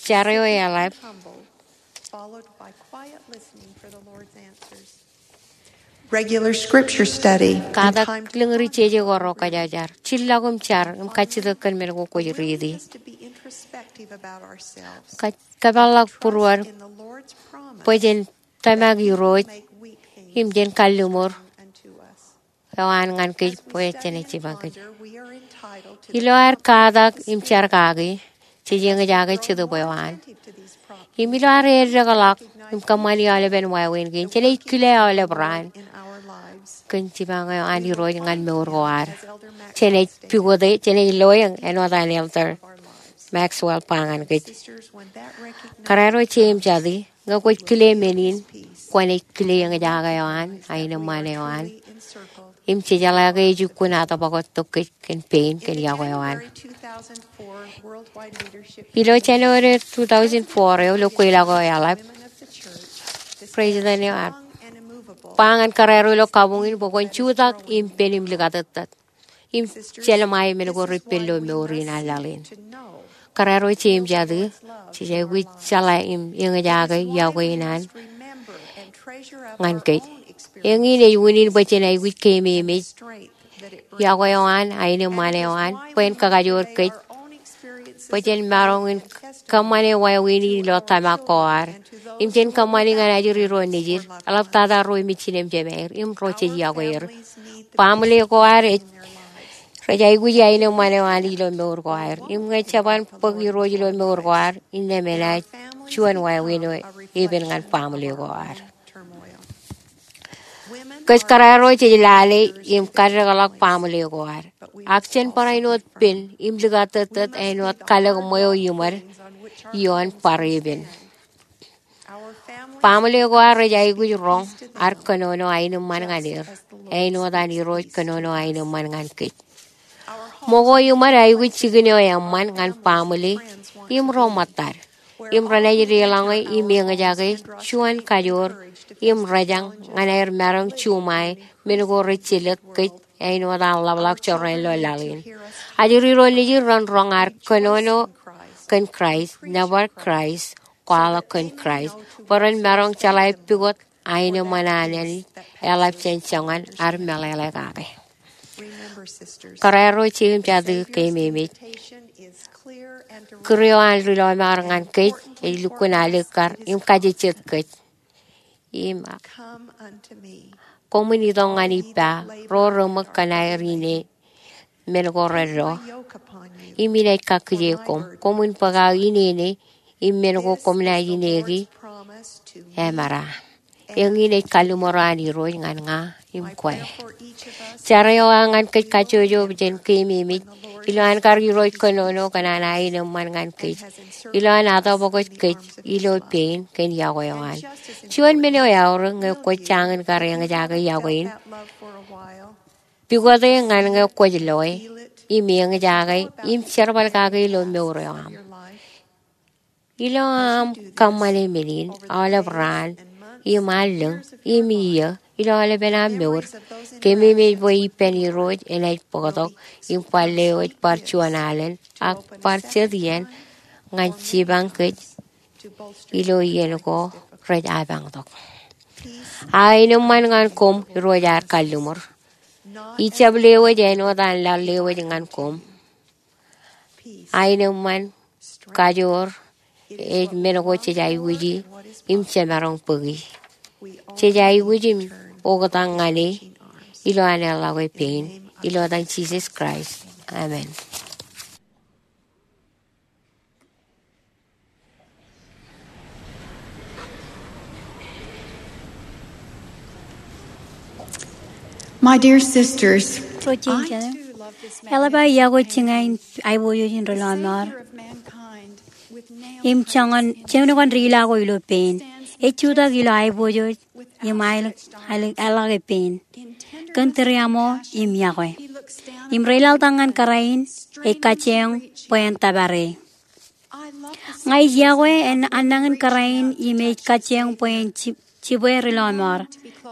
Jar eo eḷap. Regular scripture study. Katak lōñ ri jeje ko ro kwōjarjar. Jillọk im jar im kajjitōk kōn men ko kwōj riiti. Kōpeḷḷọk būruod bwe jen tōmak Irooj im jen kalliṃur eo an ñan kōj bwe jenaaj jipañ kōj. Ilo ad katak im jar kaki, jej eñjake Jetōb eo an. Im ilo ad eddekḷọk im kōṃṃani aolepen wāween kein, jenaaj kile aolep raan kōn jipañ eo an Irooj ñan mour ko ad. Jenaaj pukot e, jenaaj loe āinwōt an Elder Maxwell ba ñan kōj. Kōrā ro jeiū im jatū, ñe kwōj kile men in, kwōnaaj kile eñjake eo an, aenōṃṃan eo an. Im jejeḷā ke ej jukkuun atōpwoktok kōj kōn pein kōn yokwe eo an. Ilo January two thousand four eo, ilo kweilọk eo eḷap, President eo ear ba ñan kōrā ro ilo kabuñ in bwe kwōn jutak im pen im likatōttōt im jeḷā men ko repen ilo mour in an laḷ in. Kōrā ro jeiū im jatū, jej aikuj jeḷā im eñjake yokwe in an ñan kōj. Eñin ej unin bwe jen aikuj keememej yokwe eo an, aenōṃṃan eo an, bwe en kakajoor kōj bwe jen maroñ in kōṃṃane wāween in ilo tōmak ko ad. Im jen kōṃṃani ñan ajri ro nejid, eḷaptata ro mejān im jemāer, im ro jej yokwe er. Baaṃle ko ad ej, rej aikuj aenōṃṃan eo an ilo mour ko aer. Im ñe jeban bōk Irooj ilo mour ko ad, innām enaaj juon wāween eo epen ñan baaṃle ko ad. Kōj kōrā ro jej lale im kaddekḷọk baaṃle ko ad. Ak jen barāinwōt pen im likatōttōt āinwōt kalōk ṃweo iṃōd ioon bar epen. Baaṃle ko ad rej aikuj roñ ad kōnono aenōṃṃan ñan er, āinwōt an Irooj kōnono aenōṃṃan ñan kōj. Ṃōko iṃōd aikuj jikin eo eṃṃan ñan baaṃle im ro ṃōttad, im renaaj deḷọñe im eñjake juon kajoor im rōjañ ñan aer maroñ juṃae men ko rej jelōt kōj āinwōt an ḷapḷọk jorrāān ilo laḷ in. Ajri ro nejid ren roñ ad kōnono kōn Kraist, nōbar Kraist, kwaḷọk kōn Kraist, bwe ren maroñ jeḷā pukot aenōṃṃan an Anij eḷap jān joñan ad meḷeḷe kake. Kōrā ro jeiū im jatū, keememej. Kūr eo an ri lọmọọr ñan kōj ej lukkuun alikkar im kajejjet kōj. Im koṃwin itok ñan ippa, ro reṃōk kōn aer ine men ko reddo, im inaaj kakkije koṃ. Koṃwin bōk aō inene, im men ko koṃ naaj ineki emera. Eñin ej kalliṃur eo an Irooj ñan ña im kwe. Jar eo aō ñan kōj kajjojo bwe jen keememej ilowaan kar Irooj kōnono kōn an aenōṃṃan ñan kōj, ilowaan atōpwoktok kōj ilo pein kōn yokwe eo an. Juon men eo eaorōk ñe kwōj jañin kar eñjake yokwe in, pukot e ñan ñe kwōj loe im eñjake im jerbal kake ilo mour eo aṃ. Ilo aṃ kōṃṃane men in aolep raan im allōñ im iiō ilo aolepen aṃ mour, keememej bwe ippān Irooj enaaj bōktok im bar lewōj bar juon alen ak bar jet iien ñan jipañ kōj ilo iien ko rej apañtok. Aenōṃṃan ñan koṃ, Irooj ear kalliṃur. Ij jab lewōj āinwōt an laḷ lewōj ñan koṃ. Aenōṃṃan, kajoor, ej men ko jej aikuji im jemaroñ bōki. Jej aikuj im oktak ñan e ilo an eḷḷọke pein, ilo etan Jisōs Kraist. Amen. My dear sisters, Ro jein jete, eḷap aō iọkwe jiña in aiboojoj in ri lọmọọr im joñan jemin kōn ri ila ko ilo pein. Ej jutak ilo aiboojoj im aelōñ, aelōñ, eḷḷọke pein kōn tūriaṃo im iọkwe. Im reilaḷtak ñan kōrā in, ej kajjioñ bwe en tōpar e. Ña ij iọkwe an nañin kōrā in im ej kajjioñ bwe en ji-, jibwe ri lọmọọr.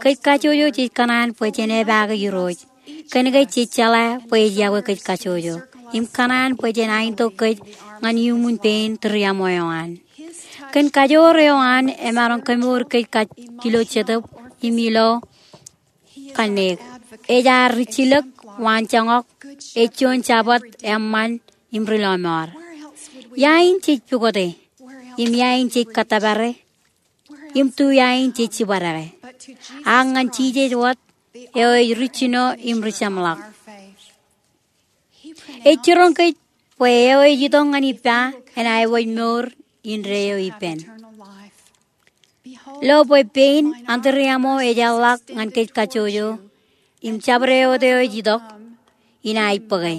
Kōj kajjojo jej kōṇaan bwe jen epaake Irooj. Kōnke jej jeḷā bwe ej iọkwe kōj kajjojo im kōṇaan bwe jen aitok kōj ñan iuṃwin pein tūriaṃo eo an. Kōn kajoor eo an emaroñ kemour kōj kajjojo ilo jetōb im ilo kanniōk. Ej ad rijjilōk, waanjoñak, ej juon jabōt, eṃṃan im ri lọmọọr. Ia in jej pukote? Im ia in jej kōttōpare? Im tu ia in jej jibadeke? Ak ñan Jisōs wōt, eo ej ri jino im ri jeṃḷọk. Ej jiroñ kōj bwe eo ej itok ñan ippa en aewōj mour indeeo ippān. Lo bwe pein an tūriaṃo ej eḷḷọk ñan kōj kajjojo, im jabdewōt eo ej itok in aij bōke.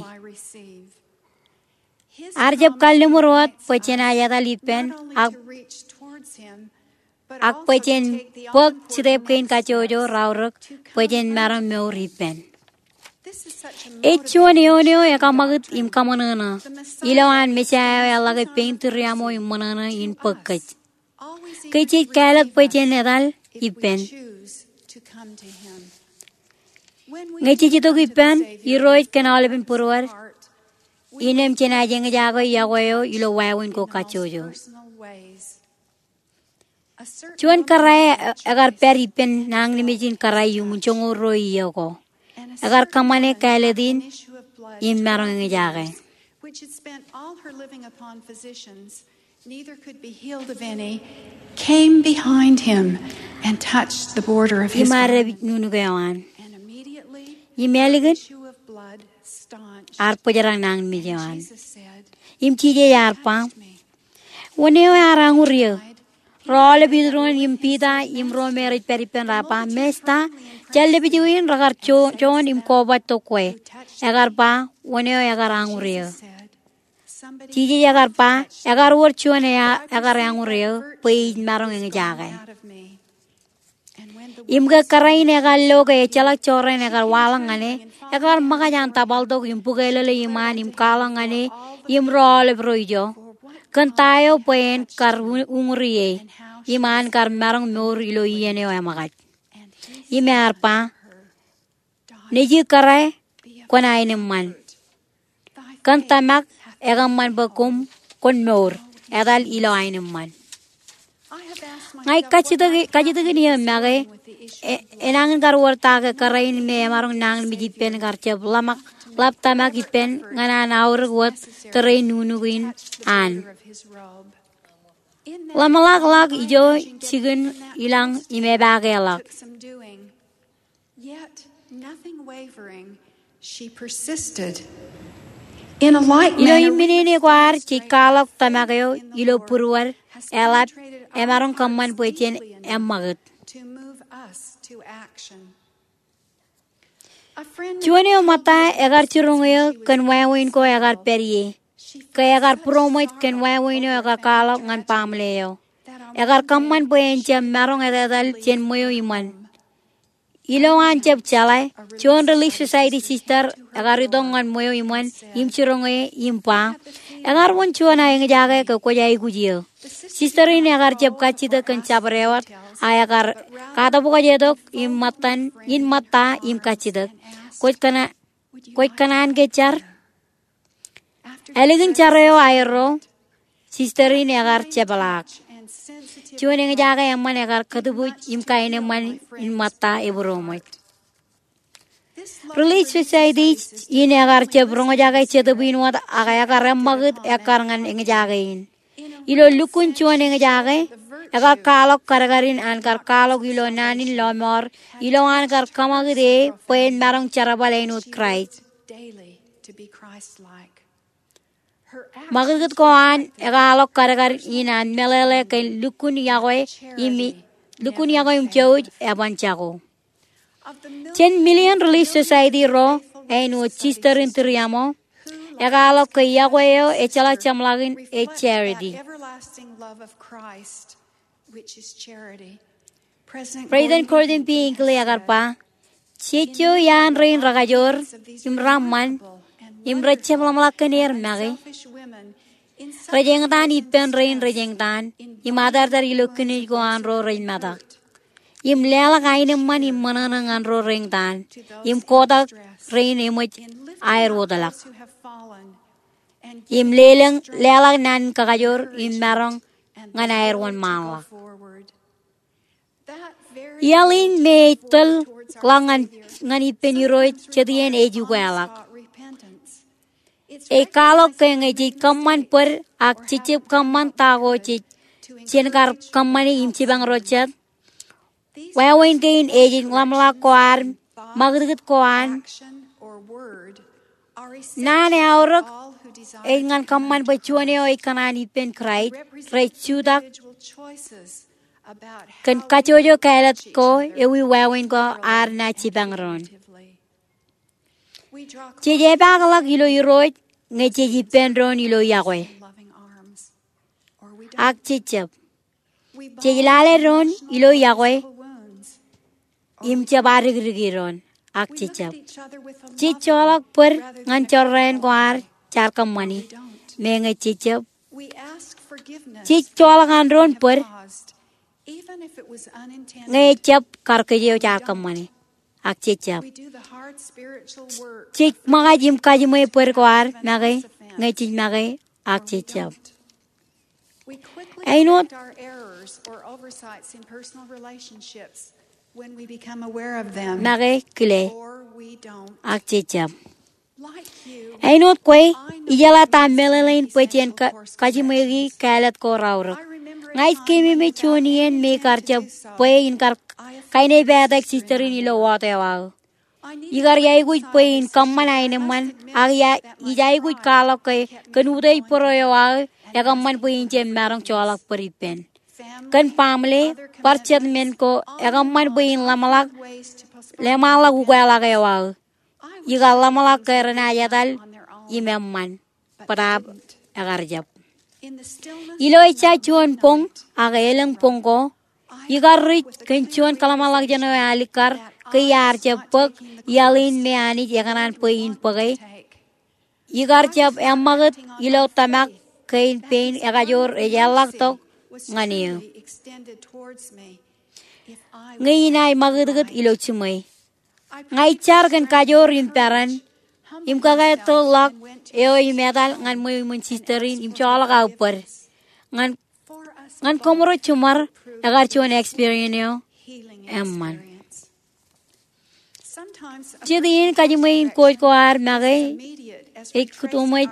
Ear jab kalliṃur wōt bwe jenaaj etal ippān ak, ak bwe jen bōk step kein kajjojo raorōk bwe jen maroñ mour ippān. Ej juon eoon eo ekaṃakūt im kaṃōṇōṇō. Ilo an Mesaia eo eḷḷọke pein tūriaṃo im ṃōṇōṇō in bōk kōj. Kōj jej kāālōt bwe jen etal ippān. Ñe jej itok ippān Irooj kōn aolepen būruod, innām jenaaj eñjake iọkwe eo ilo wāween ko kajjojo. Juon kōrā ekar pād ippān nañinmej in kōrā iuṃwin joñoul ruo iiō ko. Ekar kōṃṃane kāālōt in im maroñ eñjake. Im ear dāpij nuknuk eo an. Im ālikin ear bōjrak nañinmej eo an. Im Jisōs ear ba, Wōn eo ear añur eō? Ro aolep iturin im Piter im ro me rej pād ippān raar ba, Mesta, jar lepiju in rekar jo-, joon im kobatok kwe. Ekar ba, Wōn eo ekar añur eō? Jisōs ekar ba, Ekar wōr juon eo ekar añur eō, bwe ij maroñ eñjake. Im ke kōrā in ekar lo ke ejjeḷọk jorrāān ekar waḷọk ñan e, ekar ṃōkaj an tabaltok im bukelōle iṃaan im kwaḷọk ñan e im ro aolep ro ijo, kōn ta eo bwe en kar u-, uñuri e, im an kar maroñ mour ilo iien eo eṃōkaj. Im ear ba, Nejū kōrā, kwōn aenōṃṃan. Kōn tōmak ekōṃṃan bwe koṃ kwōn mour, etal ilo aenōṃṃan. Ña ij kajjitōk, kajjitōkin eō make, e, enañin kar wōr ta ke kōrā in me emaroñ nañinmej ippān kar jab ḷōmṇak, ḷap tōmak ippān ñan an aorōk wōt tōre in nuknuk in an. Ḷōmṇakḷọk ijo jikin ilañ im epaake ḷọk. Ilo imminene ko ad jej kwaḷọk tōmak eo ilo būruod, eḷap, emaroñ kōṃṃan bwe jen eṃṃakūt. Juon eo ṃōtta ekar jiroñ eō kōn wāween ko ekar pād ie. Ke ekar būroṃōj kōn wāween eo ekar kwaḷọk ñan baaṃle eo. Ekar kōṃṃan bwe en jab maroñ etetal jān ṃweo iṃōn. Ilo an jab jeḷā, juon Relief Society sister ekar itok ñan ṃweo iṃōn im jiroñ e im ba, Ekar wōn juon aō eñjake ke kwōj aikuj eō. Sister in ekar jab kajjitōk kōn jabdewōt, a ekar katabukajetok in ṃōttan, in ṃōtta im kajjitōk. Kwōj kōṇaan, kwōj kōṇaan ke jar? Ālikin jar eo aerro, sister in ekar jepḷaak. juon eñjake eṃṃan ekar kōtbuuj im kaenōṃṃan in ṃōtta ebūroṃōj. Relief Society in ekar jab roñjake Jetōb in wōt ak ekar eṃṃakūt ekkar ñan eñjake in. Ilo lukkuun juon eñjake, ekar kwaḷọk kadkadin an kar kwaḷọk ilo naan in lọmọọr ilo an kar kōṃakūt e bwe en maroñ jerbal āinwōt Kraist. Ṃakūtkūt ko an ekwaḷọk kadkad in an meḷeḷe kōn lukkuun iọkwe im, lukkuun iọkwe im jouj eban jako. Jān million Relief Society ro āinwōt Sister in Tūriaṃo, ekwaḷọk ke iọkwe eo ejjeḷọk jeṃḷọkin ej charity. President Gordon B. Hinckley ekar ba, jejjo iaan rein rekajoor im reṃṃan im rejjab ḷōmṇak kōn er make, rej eñtaan ippān rein rej eñtaan im atartar ilo kinej ko an ro rej metak, im leḷọk aenōṃṃan im ṃōṇōṇō ñan ro reñtaan, im kotak rein eṃōj aer wōtlọk, im lelōñ, leḷọk naan in kakajoor im maroñ ñan aer wōnṃaanḷọk. Iaḷ in me ej tōl ḷọk ñan, ñan ippān Irooj jet iien ej ukeḷọk. Ej kwaḷọk ke ñe jej kōṃṃan bōd ak jejjab kōṃṃan ta ko jej, jen kar kōṃṃani im jipañ ro jet, wāween kein ej ḷōmṇak ko ad, ṃakūtkūt ko an, naan eaorōk ej ñan kōṃṃan bwe juon eo ej kōṇaan ippān Kraist rej jutak kōn kajjojo kāālōt ko ewi wāween ko ad naaj jipañ doon. Jej epaakḷọk ilo Irooj ñe jej ippān doon ilo iọkwe, ak jejjab. Jej lale doon ilo iọkwe im jab adikdiki doon, ak jejjab. Jej joḷọk bōd ñan jorrāān ko ad jaar kōṃṃani, meñe jejjab. Jej joḷọk an doon bōd ñe ejjab kar kōj eo jaar kōṃṃani, ak jejjab. Jej ṃōkaj im kajiṃwe bōd ko ad make ñe jej make, ak jejjab. Āinwōt make kile, ak jejjab. Āinwōt kwe, ijeḷā ta meḷeḷein bwe jen ka-, kajiṃweiki kāālōt ko raorōk. Ña ij keememej juon iien me ikar jab bwe in kar kainepātak sister in ilo wōt eo aō. Ikar aikuj bwe in kōṃṃan aenōṃṃan, ak ij aikuj kwaḷọk ke kōn utiej bōro eo aō, ekōṃṃan bwe in jab maroñ joḷọk bōd ippān. Kōn baaṃle, bar jet men ko, ekōṃṃan bwe in ḷōmṇak, leṃaanḷọk ukeḷọk eo aō. Ikar ḷōmṇak ke renaaj etal im eṃṃan, bōtaab ekar jab. Ilo ejja juon boñ, ak elōñ boñ ko, ikar ruj kōn juon kōḷmānḷọkjeṇ eo alikkar ke iar jab bōk iaḷ in me Anij ekōṇaan bwe in bōke. Ikar jab eṃṃakūt ilo tōmak kein pein ekajoor ej eḷḷọktok ñan eō. Ñe inaaj ṃakūtkūt ilo jiṃwe, ña ij jar kōn kajoor im peran, im kōkātḷọk eo im etal ñan ṃweo iṃōn sister in im joḷọk aō bōd. Ñan, ñan koṃro jiṃor, ekar juon experience eo eṃṃan. Jet iien kajiṃwe in kōj ko ad make ej kōtōṃōj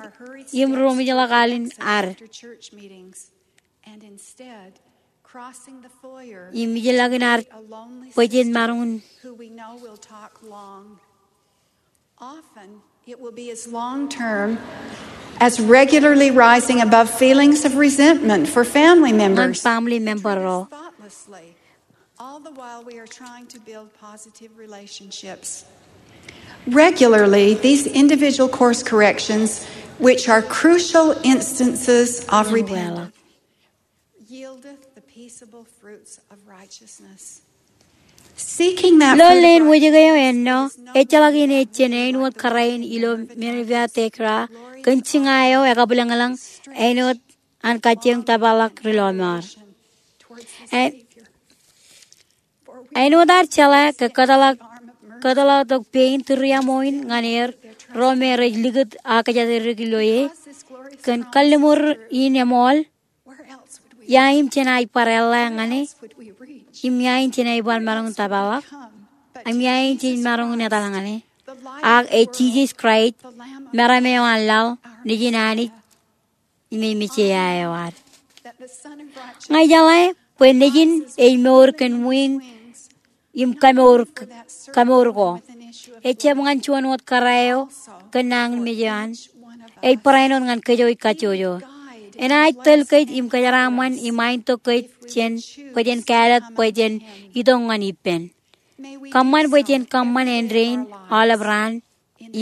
im ruṃwijḷọk al in ad. Im ijellọkin ad bwe jen maroñ in. Often, it will be as long term as regularly rising above feelings of resentment for family members. Ñan family member ro. Thoughtlessly, all the while we are trying to build positive relationships. Regularly, these individual course corrections, which are crucial instances of repentance, yieldeth the peaceable fruits of righteousness. Seeking that fruit of righteousness. Ilo leen wōjke eo ennọ, ejjeḷọk in ej jān āinwōt kōrā in ilo Minerva Thekla, kōn jiña eo ekabwilōñlōñ, āinwōt an kajjioñ tōpar ḷọk ri lọmọọr. Āinwōt ad jeḷā ke kōtḷọk, kōtḷọk tok pein Tūriaṃo in ñan er, ro me rej likūt ak kōjatdikdik ilo e, kōn kalliṃur in eṃool, Ia im jen aer bar eḷḷā ñan e? Im ia in jen aer bar maroñ in tōprak? Im ia in jen maroñ in etal ñan e? Ak ej Jisōs Kraist, meram eo an laḷ, Nejin Anij, im ej Mesaia eo ad. Ña ijeḷā bwe Nejin ej mour kōn wiiñ im kamour, kamour ko. Ejjab ñan juon wōt kōrā eo kōn nañinmej eo an. Ej barāinwōt ñan kōjro ej kajjojo. Enaaj tōl kōj im kōjeraaṃṃan im aentok kōj jān bwe jen kāālōt bwe jen itok ñan ippān. Kōṃṃan bwe jen kōṃṃan āindein aolep raan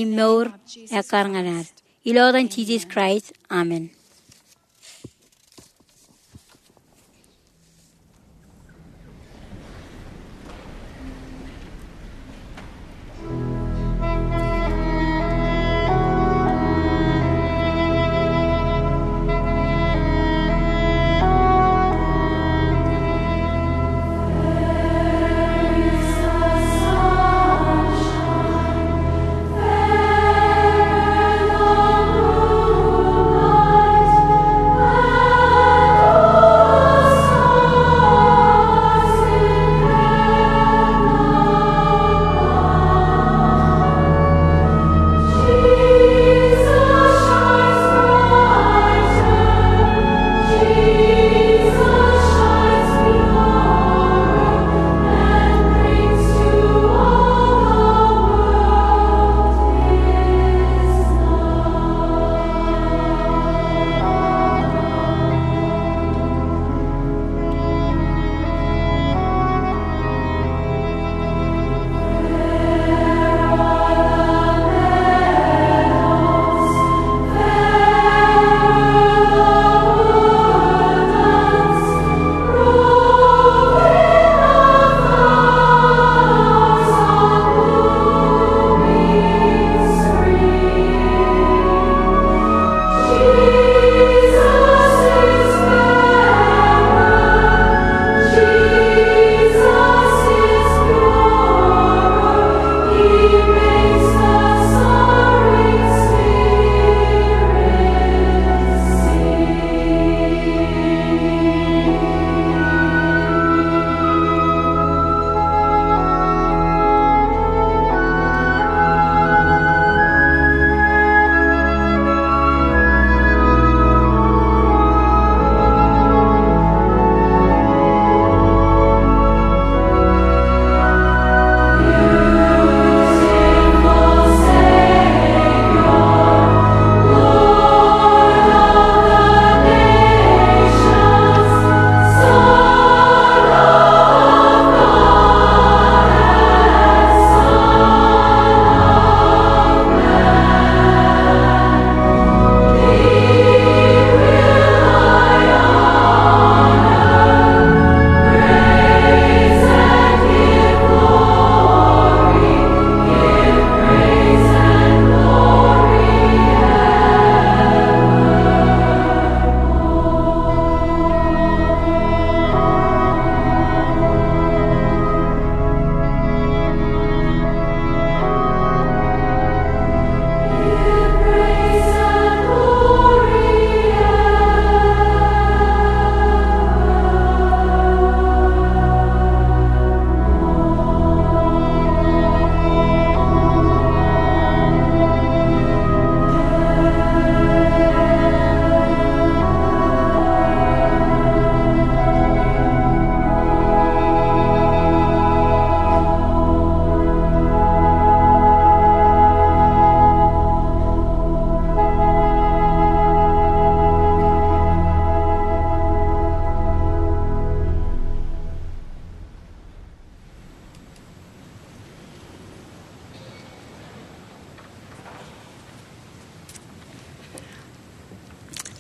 im mour ekkar ñan ad. Ilo etan Jisōs Kraist, amen.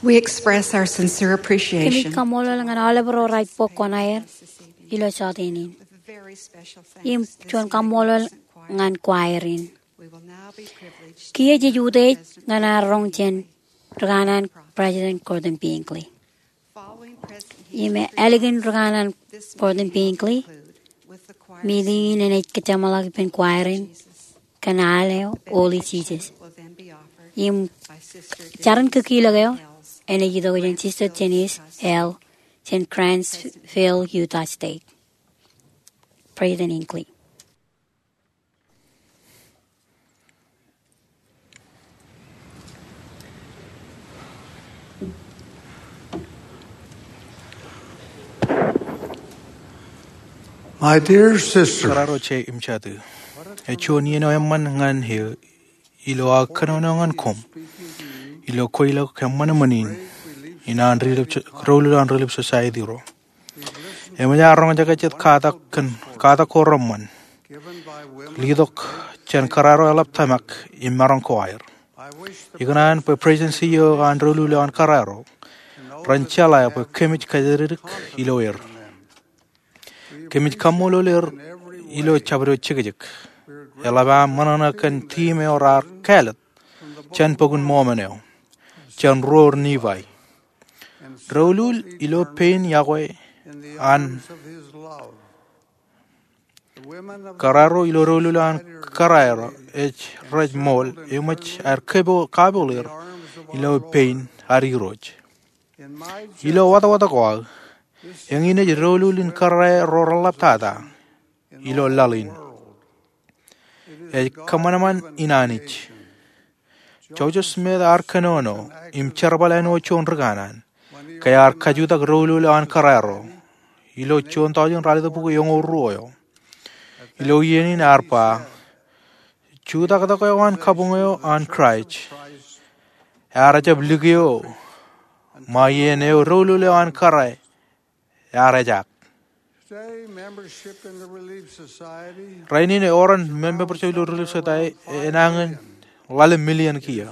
We express our sincere appreciation. Kōmij kaṃṃoolol ñan aolep ro raij bok kuṇaer ilo jọteen in. Im juon kaṃṃoolol ñan choir in. Kiiō jej utiej ñan ad roñ jān ri kanaan President Gordon B. Hinckley. Im ālikin ri kanaan Gordon B. Hinckley, meeting in enaaj kōjeṃḷọk ippān choir in kōn aḷ eo Holy Jesus. Im jar in kōkilōk eo enaaj itok jān Sister Janice L. jān Grantsville, Utah State. President Hinckley. My dear sisters, Kōrā ro jeiū im jatū, ej juon iien eo eṃṃan ñan eō ilo aō kōnono ñan koṃ ilo kweilọk eṃṃan eṃṃan in, in an Relief, doulul an Relief Society ro. Eṃōj aō roñjake jet katak kōn, katak ko reṃṃan letok jān kōrā ro eḷap tōmak im maroñ ko aer. Ikōṇaan bwe Presidency eo an doulul eo an kōrā ro ren jeḷā bwe kōmij kōjatdikdik ilo er. Kōmij kaṃṃoolol er ilo jabdewōt jekjek. Eḷap aṃ ṃōṇōṇō kōn tiim eo raar kāālōt jān Bok in Mōmon eo, jān Ruo Nifai. Doulul ilo pein iọkwe an kōrā ro ilo doulul an kōrā ro ej rej ṃool, eṃōj aer kapo-, kapool er ilo pein ad Irooj. Ilo wōtwōt ko aō, eñin ej doulul in kōrā ro reḷḷap tata ilo laḷ in. Ej kōṃanṃan in Anij. Joseph Smith ear kōnono im jerbal āinwōt juon ri kanaan ke ear kajutak doulul eo an kōrā ro ilo juon taujin ralitōk bukwi eoñoul ruo eo. Ilo iien in ear ba, jutaktak eo an kabuñ eo an Kraist ear jab likio ṃae iien eo doulul eo an kōrā ear ejaak. Today, membership in the Relief Society Rainin eoon membership ilo Relief Society enañin ḷalem million kiiō.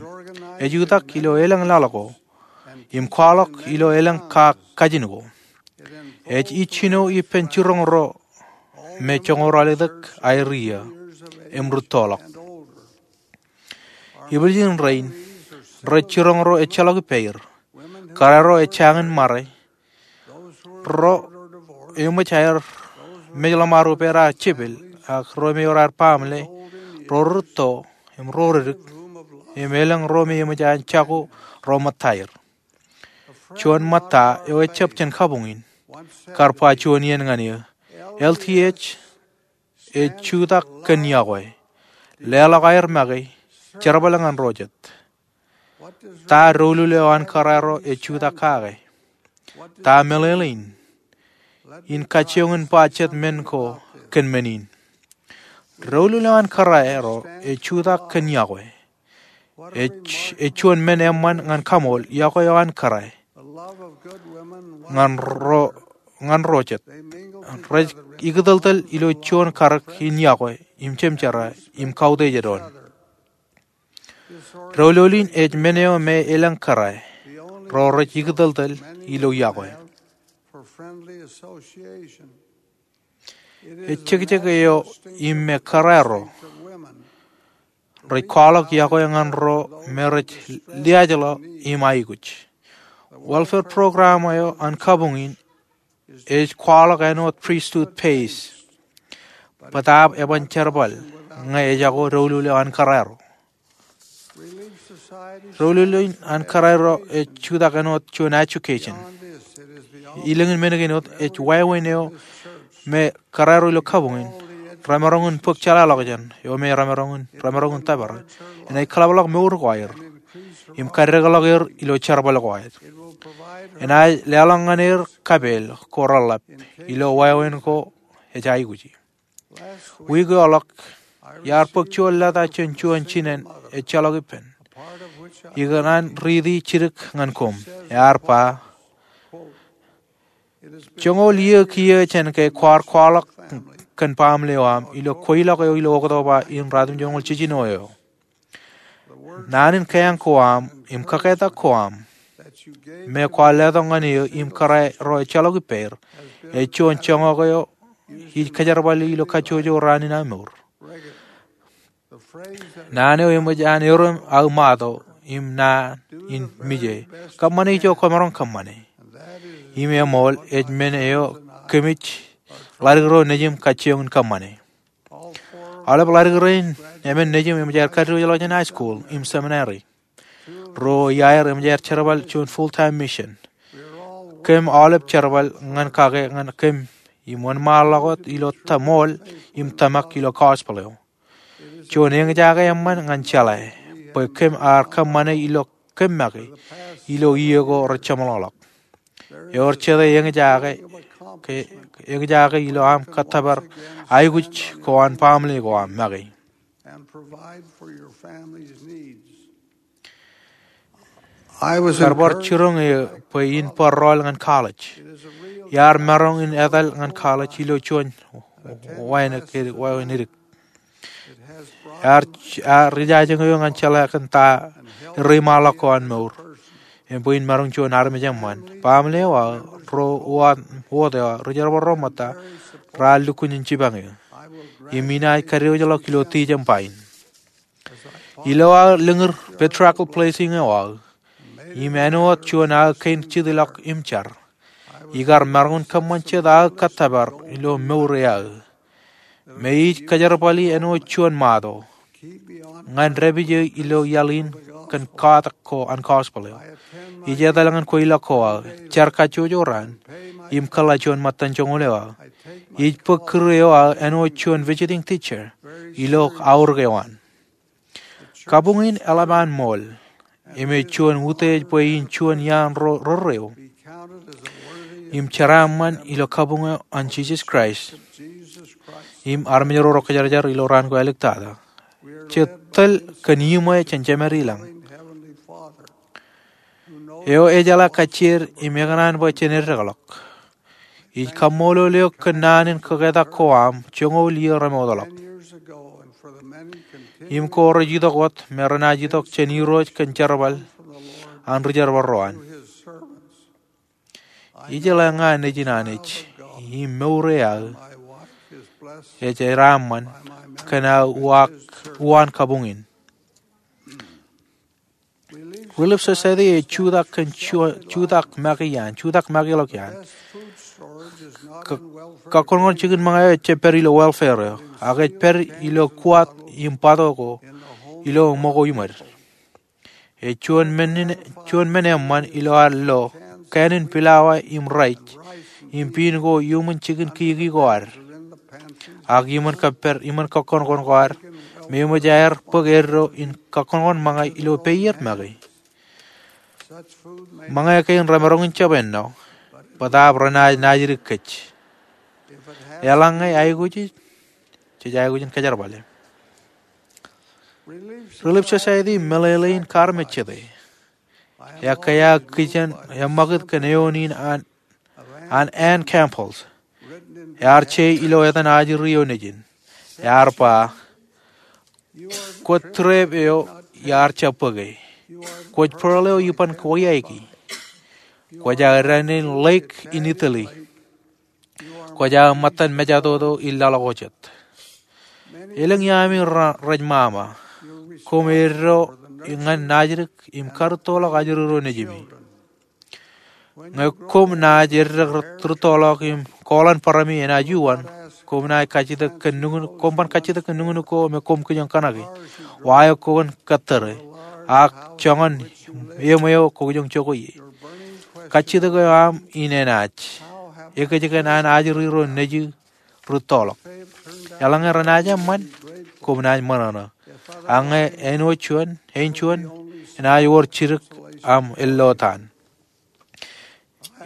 Ej jutak ilo elōñ laḷ ko im kwaḷọk ilo elōñ ka-, kajin ko. Ej ijjino ippān jiroñ ro me joñoul ralitōk aer iiō im rūttoḷọk. Ibwiljin rein, rej jiroñ ro ejjeḷọk ippāer, kōrā ro ejjañin ṃare, ro eṃōj aer mej ḷōṃaro pād aō jepel, ak ro me eor aer baaṃle, ro rūtto, im ro reddik, im elōñ ro me eṃōj an jako ro ṃōttaer. Juon ṃōtta eo ejjab jān kabuñ in, kar ba juon iien ñan eō, L T H ej jutak kōn iọkwe, leḷọk aer make, jerbal ñan ro jet. Ta doulul eo an kōrā ro ej jutak kake? Ta meḷeḷein? In kajjioñ in ba jet men ko kōn men in. Doulul eo an kōrā ro ej jutak kōn iọkwe. Ej, ej juon men eṃṃan ñan kaṃool iọkwe eo an kōrā ñan ro, ñan ro jet. Rej ikōtōltōl ilo juon karōk in iọkwe im jemjerā im kautiej doon. Doulul in ej men eo me elōñ kōrā ro rej ikōtōltōl ilo iọkwe. Ej jekjek eo im me kōrā ro rej kwaḷọk iọkwe ñan ro me rej liaajḷọk im aikuj. Welfare program eo an kabuñ in ej kwaḷọk āinwōt Priesthood Base, bōtaab eban jerbal ñe ejako doulul eo an kōrā ro. Doulul in an kōrā ro ej jutak āinwōt juon education. Elōñ in men kein wōt, ej wāween eo me kōrā ro ilo kabuñ in remaroñ in bōk jeḷāḷọkjeṇ eo me remaroñ in, remaroñ in tōpar enaaj kōḷapḷọk mour ko aer im kaddekḷọk er ilo jerbal ko aer. Enaaj leḷọk ñan er kapeel ko reḷḷap ilo wāween ko ej aikuji. Wiik eo ḷọk, iar bōk juon leta jān juon jinen ejjeḷọk ippān. Ikōṇaan riiti jidik ñan koṃ. Ear ba, joñoul iiō kiiō jān ke kwaar kwaḷọk kōn baaṃle eo aṃ ilo kweilọk eo ilo Oktoba in ratimjuonñoul jiljino eo. Naan in kaiañ ko aṃ im kōketak ko aṃ me kwaar letok ñan eō im kōrā ro ejjeḷọk ippāer ej juon joñak eo ij kōjerbali ilo kajjojo raan in aō mour. Naan eo eṃōj an erom aō motto im naan in mije, kōṃṃane ijo kwōmaroñ kōṃṃane. Im eṃool ej men eo kōmij ḷadik ro nejim kajjioñ in kōṃṃane. Aolep ḷadik rein emān nejim eṃōj aer kadiwōjḷọk jān high school im seminary. Ruo iaer eṃōj aer jerbal juon full-time mission. kōm aolep jerbal ñan kake ñan kōm im wōnṃaanḷọk wōt ilo tō ṃool im tōmak ilo gospel eo. Juon eñjake eṃṃan ñan jeḷā bwe kōm ar kōṃṃane ilo kōm make ilo iiō ko rej jeṃḷọkḷọk. Ewōr jete eñjake, ke, eñjake ilo aṃ kōttōpar aikuj ko an baaṃle ko aṃ make. And provide for your family's needs. I was Kar bar encouraged jiroñ eō bwe in bar rọọl ñan college. Iar maroñ in etal ñan college ilo juon wāween edik. Iar, iar rijajeṇ eō ñan jeḷā kōn ta reiṃaanḷọk ko an mour im bwe in maroñ juon armej eṃṃan. Baaṃle eo aō, ro uwaak wōt eo aō, ri jerbal ro ṃōtta, raar lukkuun in jipañ eō. Im inaaj kadiwōjḷọk ilo tijeṃ ba in. Ilo aō lōñūr patriarchal blessing eo aō, im āinwōt juon aō kein jitḷọk im jar, ikar maroñ in kōṃṃan jet aō kōttōpar ilo mour e aō. Me ij kōjerbali āinwōt juon ṃato ñan dāpij eō ilo iaḷ in kōn katak ko an gospel eo. Ij etal ñan kweilọk ko aō, jar kajjojo raan, im kōḷḷā juon ṃōttan joñoul eo aō. Ij bōk kūr eo aō āinwōt juon visiting teacher ilo aorōk eo an. Kabuñ in eḷap an ṃool, im ej juon utiej bwe in juon iaan ro rerreo im jeraaṃṃan ilo kabuñ eo an Jisōs Kraist im armej ro rej kōjarjar ilo raan ko āliktata. Jej tōl kōn iṃwe jān Jemād ilañ eo ejeḷā kajjied im ekōṇaan bwe jen eddekḷọk. Ij kaṃṃoolol eok kōn naan in kaketak ko aṃ joñoul iiō remootḷọk im ko rej itok wōt me renaaj itok jān Irooj kōn jerbal an ri jerbal ro an. Ijeḷā ña nejin Anij im mour e aō ej jeraaṃṃan kōn aō uwaan kabuñ in. Relief Society ej jutak kōn jutak make iaan, jutak makeḷọk iaan. Kōkkoṇkoṇ jikin ṃōñā eo ejjab pād ilo welfare eo, ak ej pād ilo kuwat im bato ko ilo ṃōko iṃōd. Ej juon men, juon men eṃṃan ilo ad lo kāānin pilawa im raij im piin ko iuṃwin jikin kiki ko ad, ak iṃōn kōppād, iṃōn kōkkoṇkoṇ ko ad, me eṃōj aer bōk eddo in kōkkoṇkoṇ ṃōñā ilo peier make. Ṃōñā kein remaroñ in jab ennọ, bōtaab renaaj naajdik kōj. Eḷaññe aikuj ej, jej aikuj in kōjerbale. Relief Society meḷeḷein kaarmejjete. Ekkā aō kijen eṃṃakūt kōn eoon in an an Ann Campbell. Ear je ilo etan ajri eo nejin. Ear ba, kwōj trep eo iar jab bōke. Kwōj pearl eo iban kōwōiaiki. Kwōj aō dān in lake in Italy. Kwōj aō ṃōttan mejatoto in laḷ ko jet. Elōñ iaami rej ṃaṃa. Koṃ eddo ñan naajdik im karūttoḷọk ajri ro nejimi. Ñe koṃ naaj eddek rūttoḷọk im kooḷan barāmi enaaj uwan, koṃ naaj kajjitōk kōn nukun, koṃ ban kajjitōk kōn nuknuk ko me koṃ kijoñ kōṇaki, wa eo kwōn kōttōre, ak joñan eṃ eo kwō kijoñ jokwe ie. Kajjitōk eo aṃ in enaaj ekōjkan an ajri ro nejū rūttoḷọk. Eḷaññe renaaj eṃṃan, koṃ naaj ṃōṇōṇō. Ak ñe āinwōt juon, āinjuon, enaaj wōr jidik aṃ ellotaan.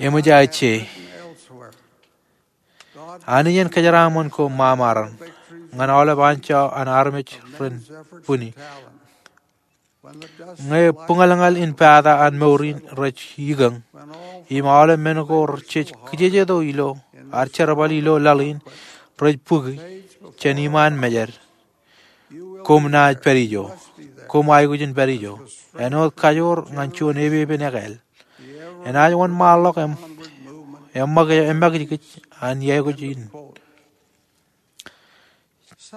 Eṃōj aō je. Anij en kōjeraaṃṃan koṃ ṃaṃaran ñan aolep anjọ an armej ren bwini. Ñe buñalñal in pata an mour in rej ikōñ, im aolep men ko rej kijejeto ilo ad jerbal ilo laḷ in rej bōki jān iṃaan mejād, koṃ naaj pād ijo. Koṃ aikuj in pād ijo āinwōt kajoor ñan juon epepen ekāāl. Enaaj wōnṃaanḷọk eṃ, eṃṃakijkij an iaikuj in.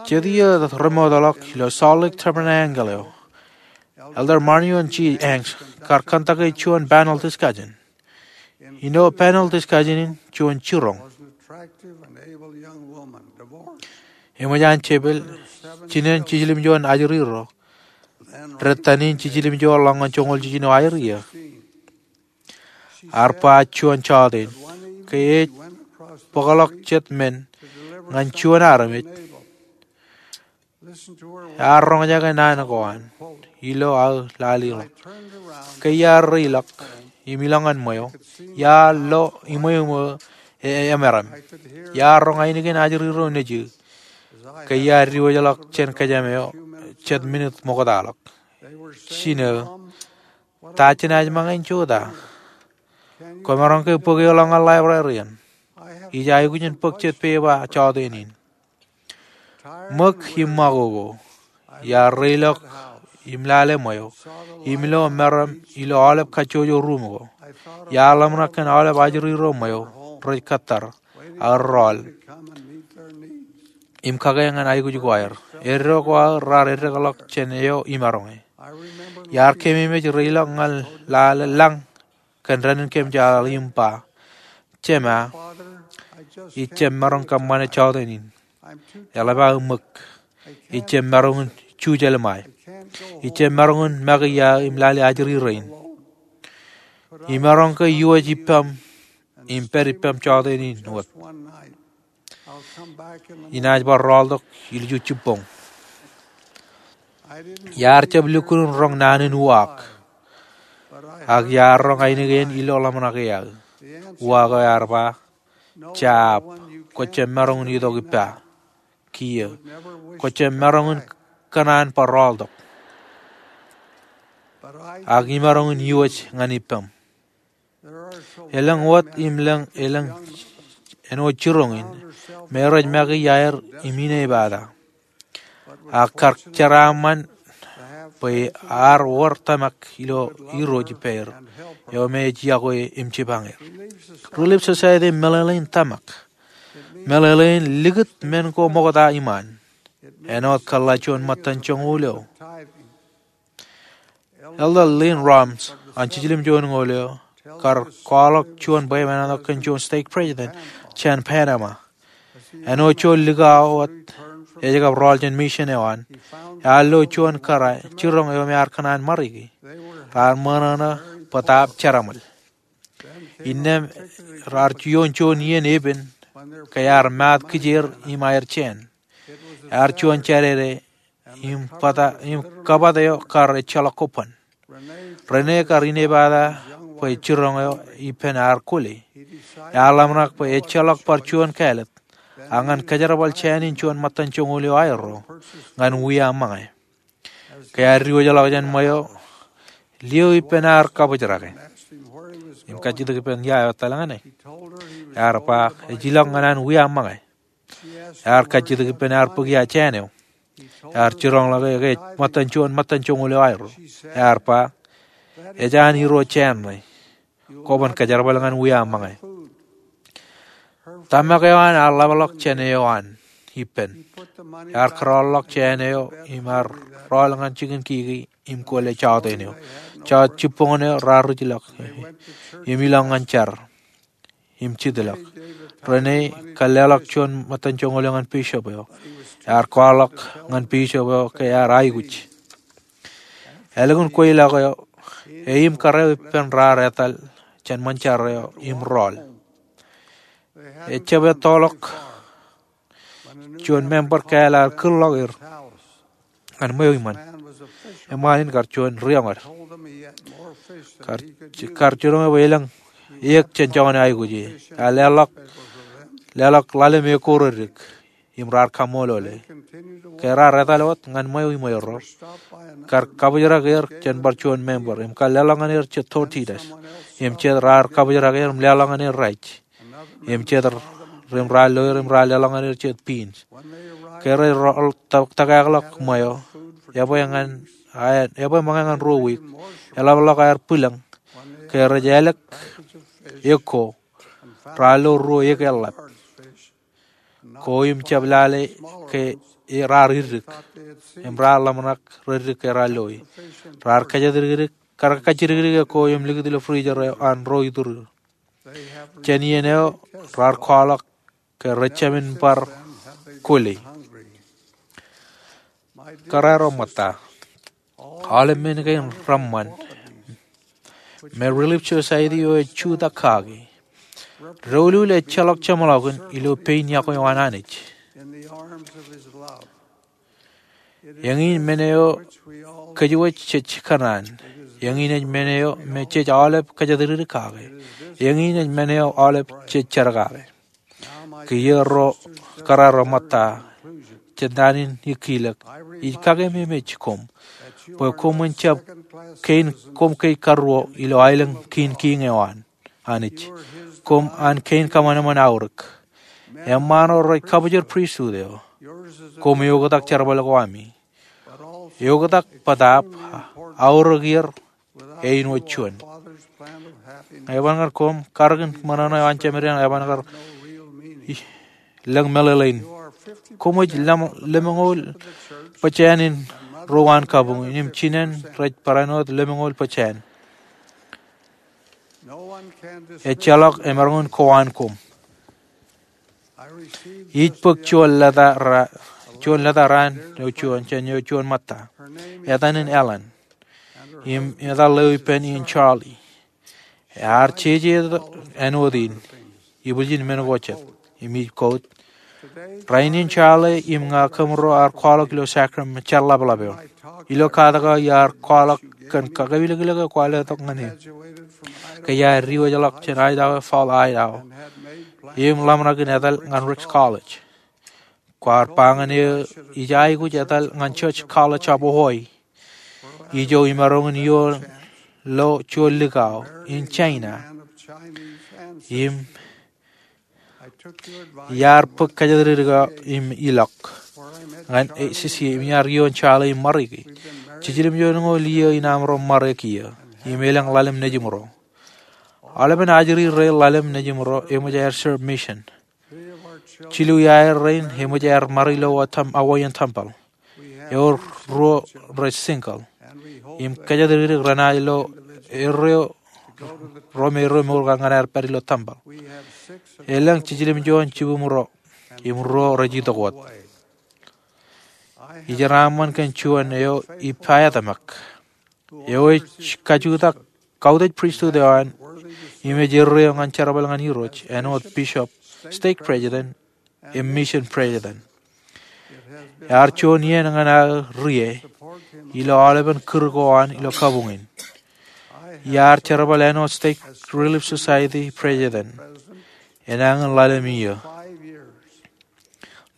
Jet iiō remootḷọk ilo Salt Lake Tabernacle eo, Elder Marion G. Hanks kar kōntake juon panel discussion. Ilo panel discussion in juon jiroñ. Eṃōj an jepel, jinen jiljilimjuon ajri ro, detan in jiljilimjuon ḷọk ñan joñoul jiljino aer iiō. Ear ba juon jọteen, ke ej bōkḷọk jet men ñan juon armej, ear roñjake naan ko an ilo aō lale ḷọk. Ke iar reilọk im ilọk ñan ṃweo, iar lo ṃweo ṃweo e, e, emeram. Iar roñ ainikien ajri ro nejū ke iar diwōjḷọk jān kōjām eo jet minit ṃoktaḷọk. Jino, ta jenaaj ṃōñā in jota? Kwōmaroñ ke bōk eōḷọk ñan library in? Ij aikuj in bōk jet pepa jọteen in. Ṃōk im ṃakoko, iar reilọk im lale ṃweo, im lo meram ilo aolep kajjojo ruum ko. Iar ḷōmṇak kōn aolep ajri ro ṃweo rej kōttar, ak rọọl, im kake ñan aikuj ko aer. Eddo ko aō raar eddekḷọk jān eo imaroñe. Iar keememej reilọk ñan lale lañ kōn dān in kōmjaaḷ im ba, Jema, ij jab maroñ kōṃṃane jọteen in. Eḷap aō ṃōk. Ij jab maroñ in jujālṃae. Ij jab maroñ in make ia im lale ajri rein. Imaroñ ke iwōj ippaṃ im pād ippaṃ jọteen in wōt. Inaaj bar rọọltok ilju jibboñ. Iar jab lukkuun roñ naan in uwaak, ak iar roñ ainikien ilo ḷōmṇak e aō. Uwaak eo ear ba, Jab, kwō jab maroñ in itok ippa. Kiiō, kwō jab maroñ in kōṇaan bar rọọltok, ak imaroñ in iwōj ñan ippaṃ. Elōñ wōt im lōñ, elōñ āinwōt jiroñ in me rej make iaer im inepata, ak kar jeraaṃṃan bwe ear wōr tōmak ilo Irooj ippāer eo me ej yokwe im jipañ er. Relief Society meḷeḷein tōmak. Meḷeḷein likūt men ko ṃokta iṃaan. Āinwōt kōḷḷā juon ṃōttan joñoul eo. Elder Lynn Roms an Jiljilimjuonñoul eo kar kwaḷọk juon bwebwenato kōn juon stake president jān Panama. Āinwōt juon likao wōt ej kab rọọl jān mission eo an, ear lo juon kōrā jiroñ eo me ear kōṇaan ṃariki. Raar ṃōṇōṇō bōtaab jeraṃōl. Innām raar ioon juon iien epen ke ear maat kijeer im aer jāān. Ear juon Jādede im bōtaab, im kabōt eo kar ejjeḷọk kobban. Rene kar inepata bwe jiroñ eo ippān ear kwōle. Ear ḷōmṇak bwe ejjeḷọk bar juon kāālōt, ak ñan kōjerbal jāān in juon ṃōttan joñoul eo aerro ñan wiaṃṃañe. Ke ear diwōjḷọk jān ṃweo, liō ippān ear kabōjrake im kajjitōk ippān ia eo etal ñan e. Ear ba ej ilọk ñan an wiaṃṃañe. Ear kajjitōk ippān ear bōk ia jāān eo. Ear jiroñḷọk e ke ej ṃōttan juon ṃōttan joñoul eo aerro. Ear ba, ej an irooj jāān ṇe. Kwōban kōjerbal ñan wiaṃṃañe. Tōmak eo an ear ḷapḷọk jān eo an ippān. Ear kōrọọlḷọk jāān eo im ear rọọl ñan jikin kiki im kwōle jọteen eo. Jọteen jibboñōn eo raar rijḷọk im ilọk ñan jar im jitḷọk. Rene kar leḷọk juon ṃōttan joñoul eo ñan bishop eo. Ear kwaḷọk ñan bishop eo ke ear aikuj. Ālikin kweilọk eo, e im kar eo ippān raar etal jān ṃōn jar eo im rọọl. Ejjab ettoḷọk juon member kāāl ear kūrḷọk er ñan ṃweo iṃaan. Eṃṃaan in kar juon rioñōd. Kar, kar jiroñ e bwe elōñ eō jān joñan eo aikuj e. Ear leḷọk, leḷọk ḷalem eō ko reddik im raar kaṃṃoolole. Ke raar etal wōt ñan ṃweo iṃweerro, kar kabōjrak er jān bar juon member im kar leḷọk ñan er jet tortillas im jet raar kabōjrak er im leḷọk ñan er rice. Im jet ri-, im raar lo er im raar leḷọk ñan er jet beans. Ke rej ro-, tō-, tōkākḷọk ṃweo, ebwe ñan, a, ebwe ṃōñā ñan ruo wiik, eḷapḷọk aer bwilōñ. Ke rej ālik eō ko, raar lo ruo eō eḷḷap. Ko im jab lale ke raar iddik, im raar ḷōmṇak reddik ke raar loi. Raar kajjitdikdik, kar kajjitdikdik eō ko im likūt ilo freezer eo an ro iturur. Jān iien eo raar kwaḷọk ke rej jāmin bar kwōle. Kōrā ro ṃōtta, aolep men kein reṃṃan. me Relief Society eo ej jutak kaki. Doulul ejjeḷọk jeṃḷọkin ilo pein iọkwe eo an Anij. Eñin men eo kōjwōj jej kōṇaan. Eñin ej men eo me jej aolep kōjatdikdik kake. Eñin ej men eo aolep jej jar kake. Kiiō ro kōrā ro ṃōtta, jān naan in ikkilōk, ij kakememej koṃ bwe koṃwin jab kein koṃ kein karuo ilo aelōñ kiin kiiñ eo an Anij. Koṃ an kein kōṃanṃan aorōk. Eṃṃaan ro rej kabōjor pristut eo. Koṃ eoktak jerbal ko ami. Eoktak bōtaab aorōk er āinwōt juon. Eban kar koṃ karōkin ṃōṇōṇō eo an Jemedin, eban kar lōñ meḷeḷein. Koṃij lemñoul pejāān in ro an kabuñ in, im jinen rej barāinwōt lemñoul pejāān. Ejjeḷọk emaroñ in kowaan koṃ. Ij bōk juon lōta raan eo juon jān eo juon ṃōtta. Etan in Ellen. Im etan eo ippān in Charlie. Ear jeje āinwōt in, ibwiljin men ko jet. Im ij quote, rainin Charlie im ña kōmro ar kwaḷọk ilo Sacramento, jar laplap eo. Ilo katak eo iar kwaḷọk kōn kakilōklōk eo kwaḷọk ñan e. Ke iar diwōjḷọk jān Idaho, Idaho. Im ḷōmṇak in etal ñan Ricks College. Kwaar ba ñan e ij aikuj etal ñan Church College of Hawaii, ijo imaroñ in ioon lo juon likao in China. Im iar bōk kōjatdikdik eo im ilọk ñan e, sisi, im iar ioon Charlie im ṃariki. Jiljilimjuon ñoul iiō in aṃro ṃare kiiō im elōñ ḷalem nejimro. Aolepen ajri rein ḷalem nejimro eṃōj aer serve mission. Jilu iaer rein eṃōj aer ṃare ilo Hawaiian temple. Ewōr ruo rej single. Im kōjatdikdik renaaj lo erreo, ruo me erreo mour kaṇ ñan aer pād ilo temple. Elōñ jiljilimjuon jibūṃro im ruo rej itok wōt. Ij jeraaṃṃan kōn juon eo ippāetōmak, eo ej kajutak kautiej pristut eo an, im ej erreo ñan jerbal ñan Irooj āinwōt bishop, stake president, im mission president. Ear juon iien ñan aō rie ilo aolepen kūr ko an ilo kabuñ in. Iar jerbal āinwōt stake Relief Society president enañin ḷalem iiō.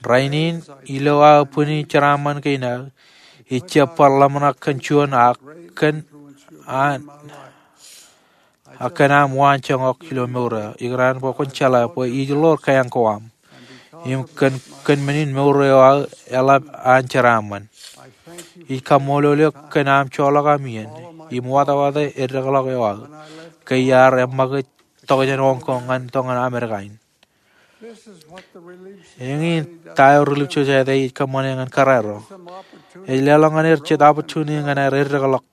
Rainin ilo aō bwini jeraaṃṃan kein aō, ij jab bar ḷōmṇak kōn juon ak kōn an ak kōn aṃ waanjoñak ilo mour eo. Ikōṇaan bwe kwōn jeḷā bwe ij ḷoor keañ ko aṃ im kōn, kōn men in mour eo aō eḷap an jeraaṃṃan. Ij kaṃṃoolol eok kōn aṃ joḷọk aṃ iien im wātawāte eddekḷọk eo aō ke iar eṃṃakūt tok jān Hong Kong ñan tok ñan Amerika in. Eñin ta eo Relief Society ej kōṃṃane ñan kōrā ro. Ej leḷọk ñan er jet opportunity ñan aer eddekḷọk.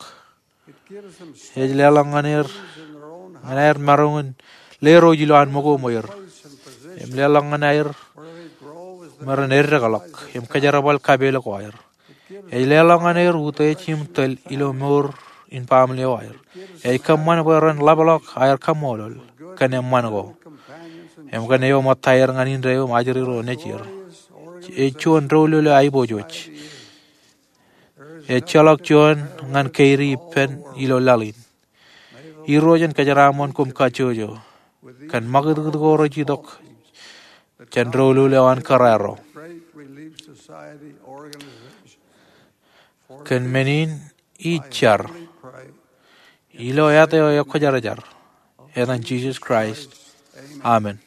Ej leḷọk ñan er, ñan aer maroñ in lerooj ilowaan ṃōko ṃweer. Im leḷọk ñan aer maroñ in eddekḷọk im kōjerbal kapeel ko aer. Ej leḷọk ñan er utiej im tōl ilo mour in baaṃle eo aer. Ej kōṃṃan bwe ren ḷapḷọk aer kaṃṃoolol kōn eṃṃan ko im kōn eo ṃōttaer ñan indeeo im ajri ro nejier. Ej juon doulul eo aiboojoj. Ejjeḷọk juon ñan keidi ippān ilo laḷ in. Irooj en kōjeraaṃṃan koṃ kajjojo kōn ṃakūtkūt ko rej itok jān doulul eo an kōrā ro. Kōn men in ij jar ilo āt eo ekwōjarjar, etan Jisōs Kraist, amen.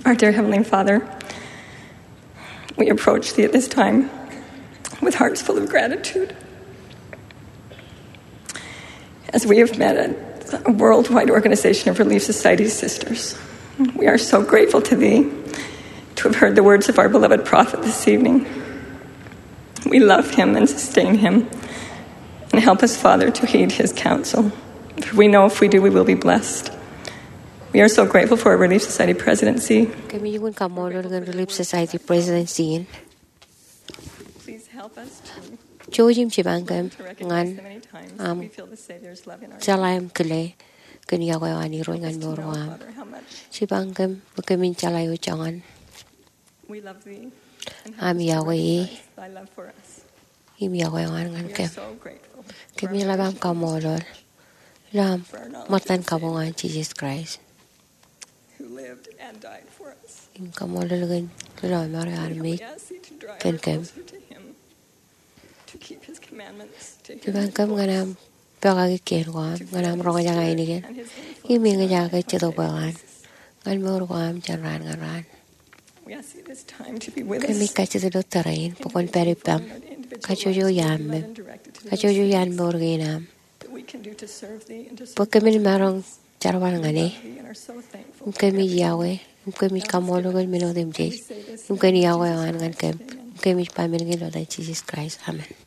Our dear Heavenly Father, we approach Thee at this time with hearts full of gratitude. As we have met at a worldwide organization of Relief Society sisters, we are so grateful to Thee to have heard the words of our beloved prophet this evening. We love him and sustain him, and help us, Father, to heed his counsel. For we know if we do, we will be blessed. We are so grateful for our Relief Society presidency. Kōmij kaṃṃoolol kōn Relief Society presidency in. Jouj im jipañ kōm ñan aṃ jeḷā im kile kōn yokwe eo an Irooj ñan mour ko am. Jipañ kōm bwe kōmin jeḷā eo joñan aṃ yokwe e im yokwe eo an ñan kōm. Kōmij lap aṃ kaṃṃoolol ilo aṃ ṃōttan kabuñ an Jisōs Kraist. Im kaṃṃoolol kōn ilo ṃōrā eo armej kōn kōm. Jipañ kōm ñan aṃ pokake kien ko am, ñan aṃ roñjake ainikien im eñjake jetōb eo an ñan mour ko am jān raan ñan raan. Kōmij kajjitōk ilo tōre in bwe kwōn pād ippaṃ, kajjojo iaan meṃ, kajjojo iaan mour kein am, bwe kōmin maroñ jerbal ñan e. Im kōmij yokwe im kōmij kaṃṃoolol kōn men otemjej im kōn yokwe eo an ñan kōm. Im kōmij ba men kein ilo etan Jisōs Kraist, amen.